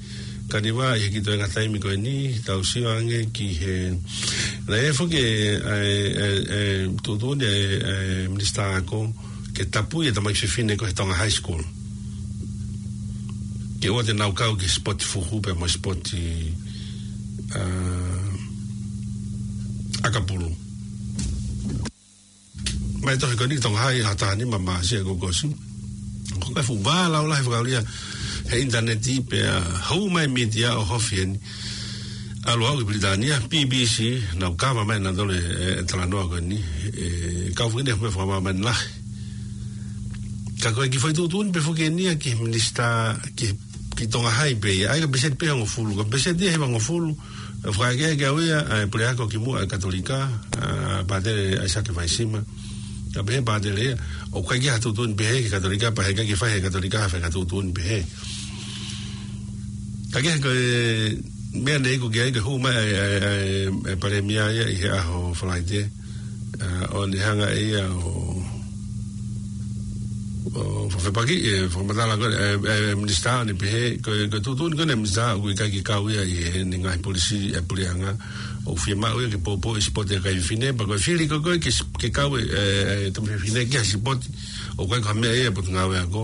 Ka ne ʻi ai e kiʻi toenga taimi ko eni, tau sio ange ki he, naʻe foki e, e, e, e, tuʻutuʻuni e, e, minisitā ako, ke tapui e tamaiki fefine ko ē he Tonga High School. Ke ʻoua te nau kau ki he sipoti fuhu pea mo e sipoti, ʻa, ʻakapulu. Mai tohi ko eni ki Tonga High ha taha nima Māʻasi kuo ʻosi. Ko e fuʻu vā laulahi fakaʻulia he ʻinitaneti pea hū mai mītia ʻo hofi eni. ʻAlu au ki Pilitānia, B B C, nau kava mai nautolu e, e talanoa ko eni. E, kau foki eni he meʻa fakamāmani lahi. Ka ko e kiʻi foʻi tuʻutuʻuni pē foki eni ia ki he minisitā, ki, ki Tonga High pē ia. ʻA ia ko e peseti pē hongofulu. Ko e peseti ia hiva hongofulu. ʻE fakaʻekeʻeke au ia, ʻa e puleako kimuʻa ʻa e Katolika, ʻa Pātele ʻAisake Vaisima. Ka pehē ʻe Pātele ia, ʻoku ʻikai ke ʻi ai ha tuʻutuʻuni pehē ki he Katolika, pea heʻikai ke fai ʻe he Katolika ha faʻahinga tuʻutuʻuni pehē. Ka ke ko e meʻa naʻe iku ki ai, ke hū mai e, e, e, e Palēmia ia ʻi he ʻaho Falaite. ʻA, ʻo ne hanga ʻe ia ʻo, ʻo fefepaki, e, fakamatala ko e, e, e, minisitā ʻo ne pehē, ko e, ko e tuʻutuʻuni ko eni e minisitā, ʻoku ʻikai ke kau ia ʻi heʻene ngaahi polisī e puleʻanga, ʻoku fiemaʻu ia ke poupou e sipoti ʻa e kakai fefine, pea ko e fili ko ē ke, ke kau e, e, e tamaiki fefine ki ha sipoti, ʻoku ʻikai ko ha meʻa ia ʻa e Potungāue Ako,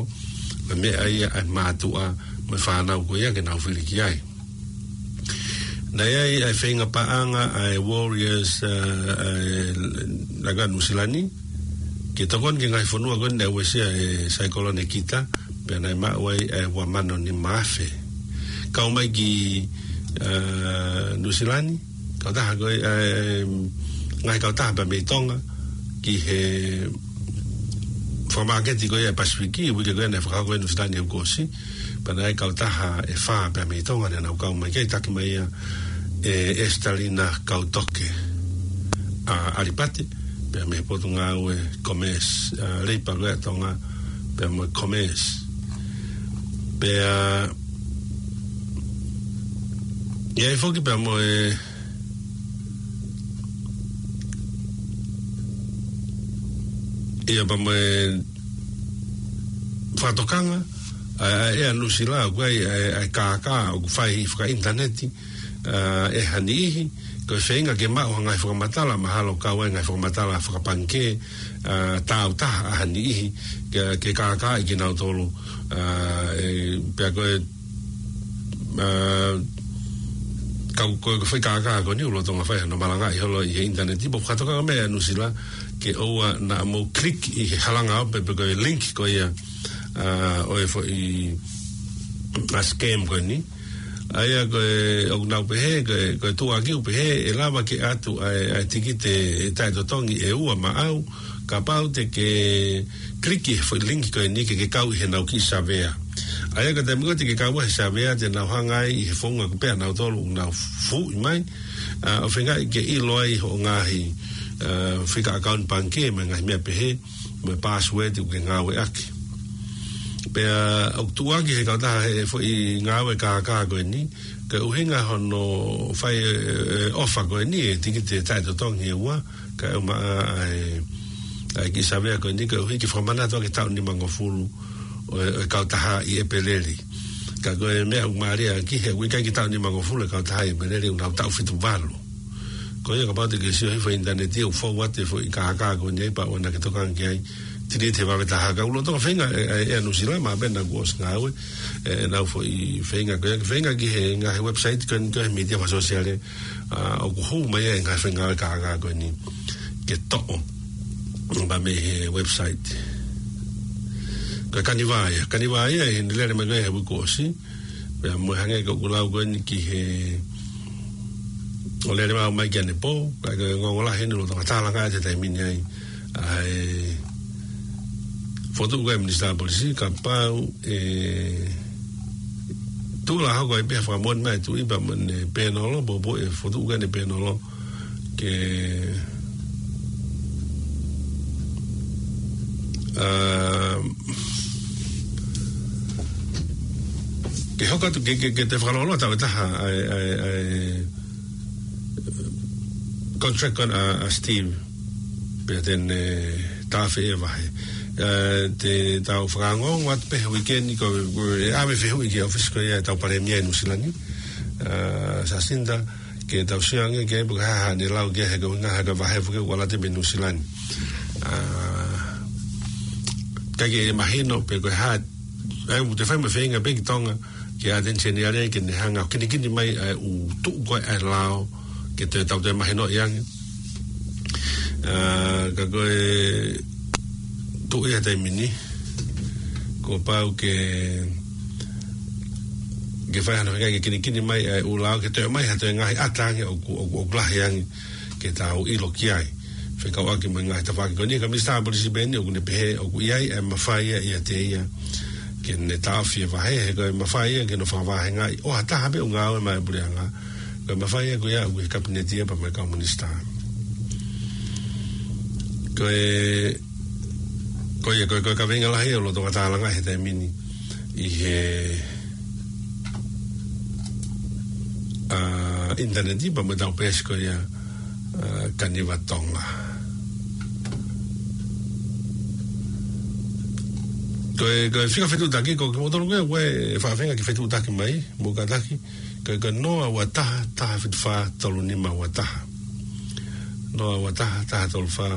ko e meʻa ia ʻa e mātuʻa mo e fānau ko ia ke nau fili ki ai. Naʻe ʻi ai e feinga paʻanga ʻa e Warriors, ʻa, ʻa e, ʻa e Nuʻusila ni, ke tokoni ki he ngaahi fonua ko eni naʻe uesia ʻe he Cyclone Nikita, pea naʻe maʻu ai e ua mano nima afe. Kau mai ki, ʻa, Nuʻusila ni, kautaha ko ē, ʻa, ngaahi kautaha pea mei Tonga, ki he fakamāketi ko ia ʻa e Pasifiki, uike ko ē naʻe fakahoko ʻi Nuʻusila ni he kuo ʻosi, pea naʻe ʻi ai e kautaha ʻe fā pea mei Tonga naʻa nau kau mai ki ai, taki mai ia ʻe Estalina Kautoke, ʻa, ʻAlipate, pea mei he Potungāue Commerce, ʻa, Leipa ko ē ʻa Tonga, pea mo e Commerce. Pea, ʻi ai foki pea mo e, ʻi ai pea mo e fakatokanga ʻa, ʻa e ʻEa Nuʻusila, ʻoku ʻi ai ʻa e, ʻa e kākā ʻoku fai fakaʻinitaneti, ʻa, ʻe ha niʻihi, ko e feinga ke maʻu ha ngaahi fakamatala, mahalo kau ai e ngaahi fakamatala fakapangikē, ʻa, tāutaha ʻa ha niʻihi, ke, ke kākaaʻi kinautolu, ʻa, e, pea ko e, ʻa, kau ko e, ko e foʻi kākā ko eni ʻoku lolotonga fai hano malangaʻi holo ʻi he ʻinitaneti, pea ʻoku fakatokanga mai ʻa Nuʻusila ke ʻoua naʻa mou click ʻi he halanga ope pe ko e link ko ia, ʻa, ʻo e foʻi, ʻa, scam ko eni. ʻA ia ko e, ʻoku nau pehē, ko e, ko e tuʻuaki ʻoku pehē, ʻe lava ke ʻatu ʻa e, ʻa e tikite taʻetotongi ʻe ua maʻau, kapau te ke click he foʻi link ko eni ke ke kau ʻi heʻenau kiʻi savea. ʻA ia ko e taimi ko ē te ke kau ai he savea te nau hanga ai ʻi he founga ko ē pea nautolu ʻoku nau fuʻu mai, ʻa, ʻo feingaʻi ke ʻilo ai hoʻo ngaahi, ʻa, fika account pangikē mo e ngaahi meʻa pehē, mo e password ʻoku ke ngāueʻaki. Pea ʻoku tuʻuaki he kautaha he foʻi ngāue kākā ko eni, ko e ʻuhinga hono fai e, e ʻofa ko eni e tikite taʻetotongi ʻe ua, kae ʻumaʻā ʻa e, ʻa e kiʻi savea ko eni, koeʻuhi ke fakamanatu ʻaki e taʻu nimangofulu ʻo e, ʻo e kautaha ʻi ʻEpeleli. Ka ko e meʻa ʻoku mālie ʻaki he ʻoku ʻikai ke taʻu nimangofulu e kautaha ʻi ʻEpeleli, ʻoku nau taʻu fitu valu. Ko ia kapau te ke sio he foʻi ʻinitaneti ʻoku fou atu e foʻi kākā ko eni ai pea ʻoua naʻa ke tokanga ki ai, delete he vave taha. Ka ʻoku lolotonga feinga e, e, ʻEa Nuʻusila, mahalo pē naʻa kuo ʻosi ngāue, e, ʻenau foʻi feinga ko ia, feinga ki he ngaahi website ko eni ko e mītia fakasōsiale, ʻa, ʻoku hū mai ai e ngaahi foʻi ngāue kākā ko eni ke toʻo pea mei he website. Ko e Kanivā ia, Kanivā ia ʻi heʻene lele mai ko ē he uike kuo ʻosi, pea mo e hangē ko ʻeku lau ko eni ki he, ʻo lele mai mai ki ʻanepō, ka ko e ongoongo lahi eni lolotonga tālanga ʻa e taimi ni ai, ʻa e fokotuʻu ko ē Minisitā Polisi, kapau ʻe tuʻu ʻa e hoko ai pē ha fakamoʻoni mai ʻa e Tuʻi pea mo ʻene pēnolo, pōpō ʻe fokotuʻu ko ē ʻene pēnolo ke, ā, ke hoko atu ke, ke, ke toe fakalōloa tau ʻe taha ʻa e, ʻa e, ʻa e contract ko ena ʻa, ʻa Steve. Pea te ne, ē, tafe e vahe. Ē, te tau fakaongoongo atu pē he uike ni ko, ko e ʻave fehuʻi ki he ʻōfisi ko ia ʻetau Palēmia ʻi Nuʻu Sila ni, ā, Jacinda, ke tau sio ange ki ai pe ko e hā haʻane lau ki ai he ko e ʻuhinga he ko e vahe foki ʻoku ʻalu atu mei Nuʻu Sila ni. Ā, ʻikai ke mahino pe ko e hā, ʻa ia ʻoku te fai mo e feinga pē ki Tonga, ke attention ia ke ne hanga ʻo kinikini mai ʻa e ʻū tuʻu ko ē ʻa e lao ke toe tau toe mahinoʻi ange. Ā, ka ko e tuʻu ia he taimi ni, kuo pau ke, ke fai hano feinga ke kinikini mai ʻa e ʻū lao ke toe ʻomai ha toe ngaahi ʻata ange ʻoku, ʻoku, ʻoku lahi ange ke tau ʻilo ki ai. Fekauʻaki mo e ngaahi tafaʻaki ko eni, ka Minisitā Polisi pē eni ʻoku ne pehē ʻoku ʻi ai e mafai ia ʻiate ia ke ne taʻofi e vahe, he ko e mafai ia ke ne fakavahengaʻi ʻo ha taha pē ʻoku ngāue maʻá e puleʻanga. Ko e mafai ia ko ia ʻoku ʻi he Kapineti ia pea mo e kau Minisitā. Ko e, ko ia, ko e, ko e kaveinga lahi ʻoku lolotonga tālanga he taimi ni ʻi he, ā, ʻinitaneti pea mo ʻetau peesi ko ia, ā, Kaniva Tonga. Ko e, ko e fika fetuʻutaki, ko kimoutolu ko ē ʻoku ʻi ai e faʻahinga kiʻi fetuʻutaki mai, mou kātaki, ko e, ko e noa ua taha, taha fitu fā, tolu nima ua taha. Noa ua taha, taha tolu fā,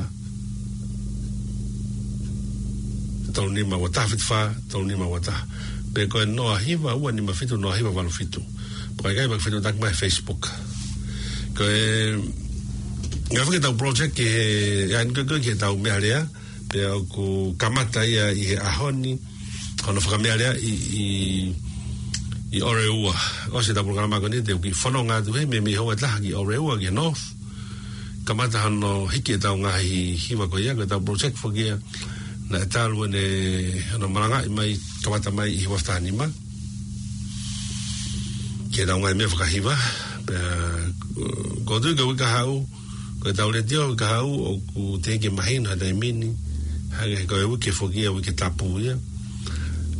tolu nima ua taha, fitu fā, tolu nima ua taha. Pe ko e noa hiva ua nima fitu, noa hiva valu fitu. Pe ko e ʻikai pē ke fetuʻutaki mai he Facebook. Ko e, ngaahi fakaʻetau project ki he, ʻa ia ko e, ko e ki heʻetau meʻalea, pea ʻoku kamata ia ʻi he ʻaho ni, hono fakameʻaleaʻi ʻi, ʻi, ʻi ʻOreua. ʻOsi ʻetau polokalama ko eni te u kiʻi fononga atu heni mei, mei he houa ʻe taha ki ʻOreua ki he North. Kamata hono hiki ʻetau ngaahi hiva ko ia, ko ʻetau project foki ia naʻe talu ʻene, hono malangaʻi mai, kamata mai ʻi he ua taha nima. Ki heʻetau ngaahi meʻa fakahiva, pea, ʻoku ou tui ko e uike kahaʻu, ko ʻetau letiō uike kahaʻu ʻoku teʻeki mahino he taimi ni, hangē ko e uike foki ia, uike tapu ia.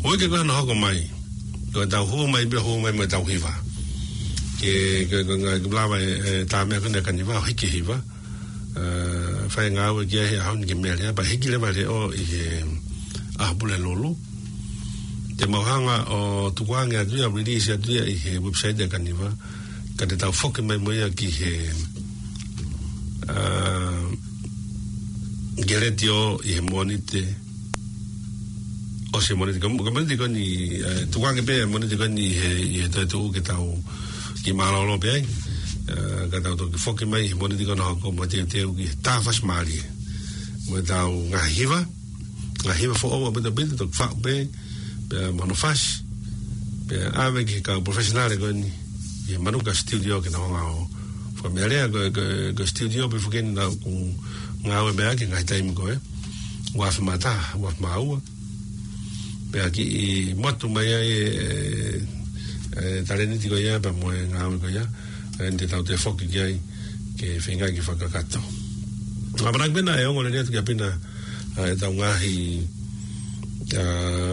Uike ko ē hono hoko mai, ko ʻetau hū mai pē, hū mai mo ʻetau hiva. Ke, ke, ke, ke lava e, e tā meʻa ko ena Kaniva ʻo hiki hiva. Ā, fai ngāue ki ai he ʻaho ni ki he meʻalea, pea hiki leva leʻo ʻi he ʻaho Pulelulu. Te mau hanga ʻo tukuange atu ia, release atu ia ʻi he website ʻa Kaniva. Ka te tau foki mai mo ia ki he, ā, ki he letiō ʻi he Mōnite. ʻOsi e Mōnite, ko, ko e Mōnite ko eni, ē, tukuange pē e Mōnite ko eni he, he toetuʻu ke tau kiʻi mālōlō pē ai. Ē, ka tau toki foki mai he Mōnite ko ena hono hoko mo e teuteu ki he tā fasi mālie. Mo ʻetau ngaahi hiva, ngaahi hiva foʻou ʻaupito ʻaupito, toki faʻu pē, pea mo hono fasi, pea ʻave ki he kau professional ko eni, ʻi he Manuka Studio ke nau hanga ʻo fakameʻalea. Ko e, ko e, ko e studio pē foki eni naʻá ku ngāue mei ai he ngaahi taimi ko ē, ua afe mā taha, ua afe mā ua. Pea kiʻi motu mai ai e, e, e talēniti ko ia, pea mo e ngāue ko ia, ē, te tau toe foki ki ai, ke feinga ke fakakakato. ʻAmanaki pē naʻe ongo lelei atu kia Pina, ā, ʻetau ngaahi, ā,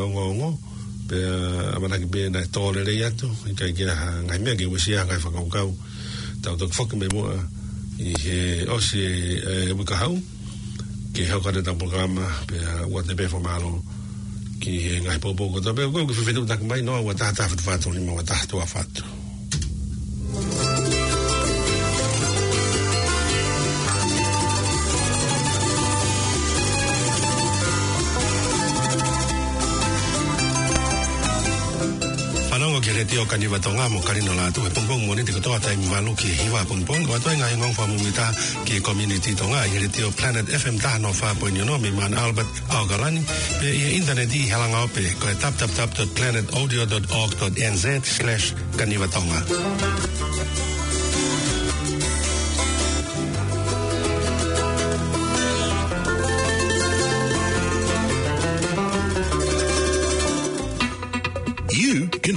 ongoongo, pea ʻamanaki pē naʻe tō lelei atu, ʻikai ke ʻi ai ha ngaahi meʻa ke uesia ha ngaahi fakakaukau. Tau toki foki mai muʻa ʻi he ʻosi e, e uike kahaʻu, ke hoko atu ʻetau polokalama, pea ʻoatu pē fakamālō ki he ngaahi poupou kotoa pē, ko e kiʻi fetuʻutaki mai, noa ua taha, taha fitu fā, tolu nima ua taha, tuʻa ʻofa atu. Fanongo ki he Letiō Kaniva Tonga mo Kalino Lātū he pongipongi Mōnite kotoa taimi valu ki he hiva pongipongi, ʻoatu ai e ngaahi ongoongo fakamuimuitaha ki he community Tonga ʻi he Letiō Planet F M taha noa fā poini ono mei Mount Albert, ʻAokalani, pea ʻi he ʻinitaneti ʻi he halanga ope ko e w w w dot planet audio dot org dot n z slash Kaniva Tonga. You can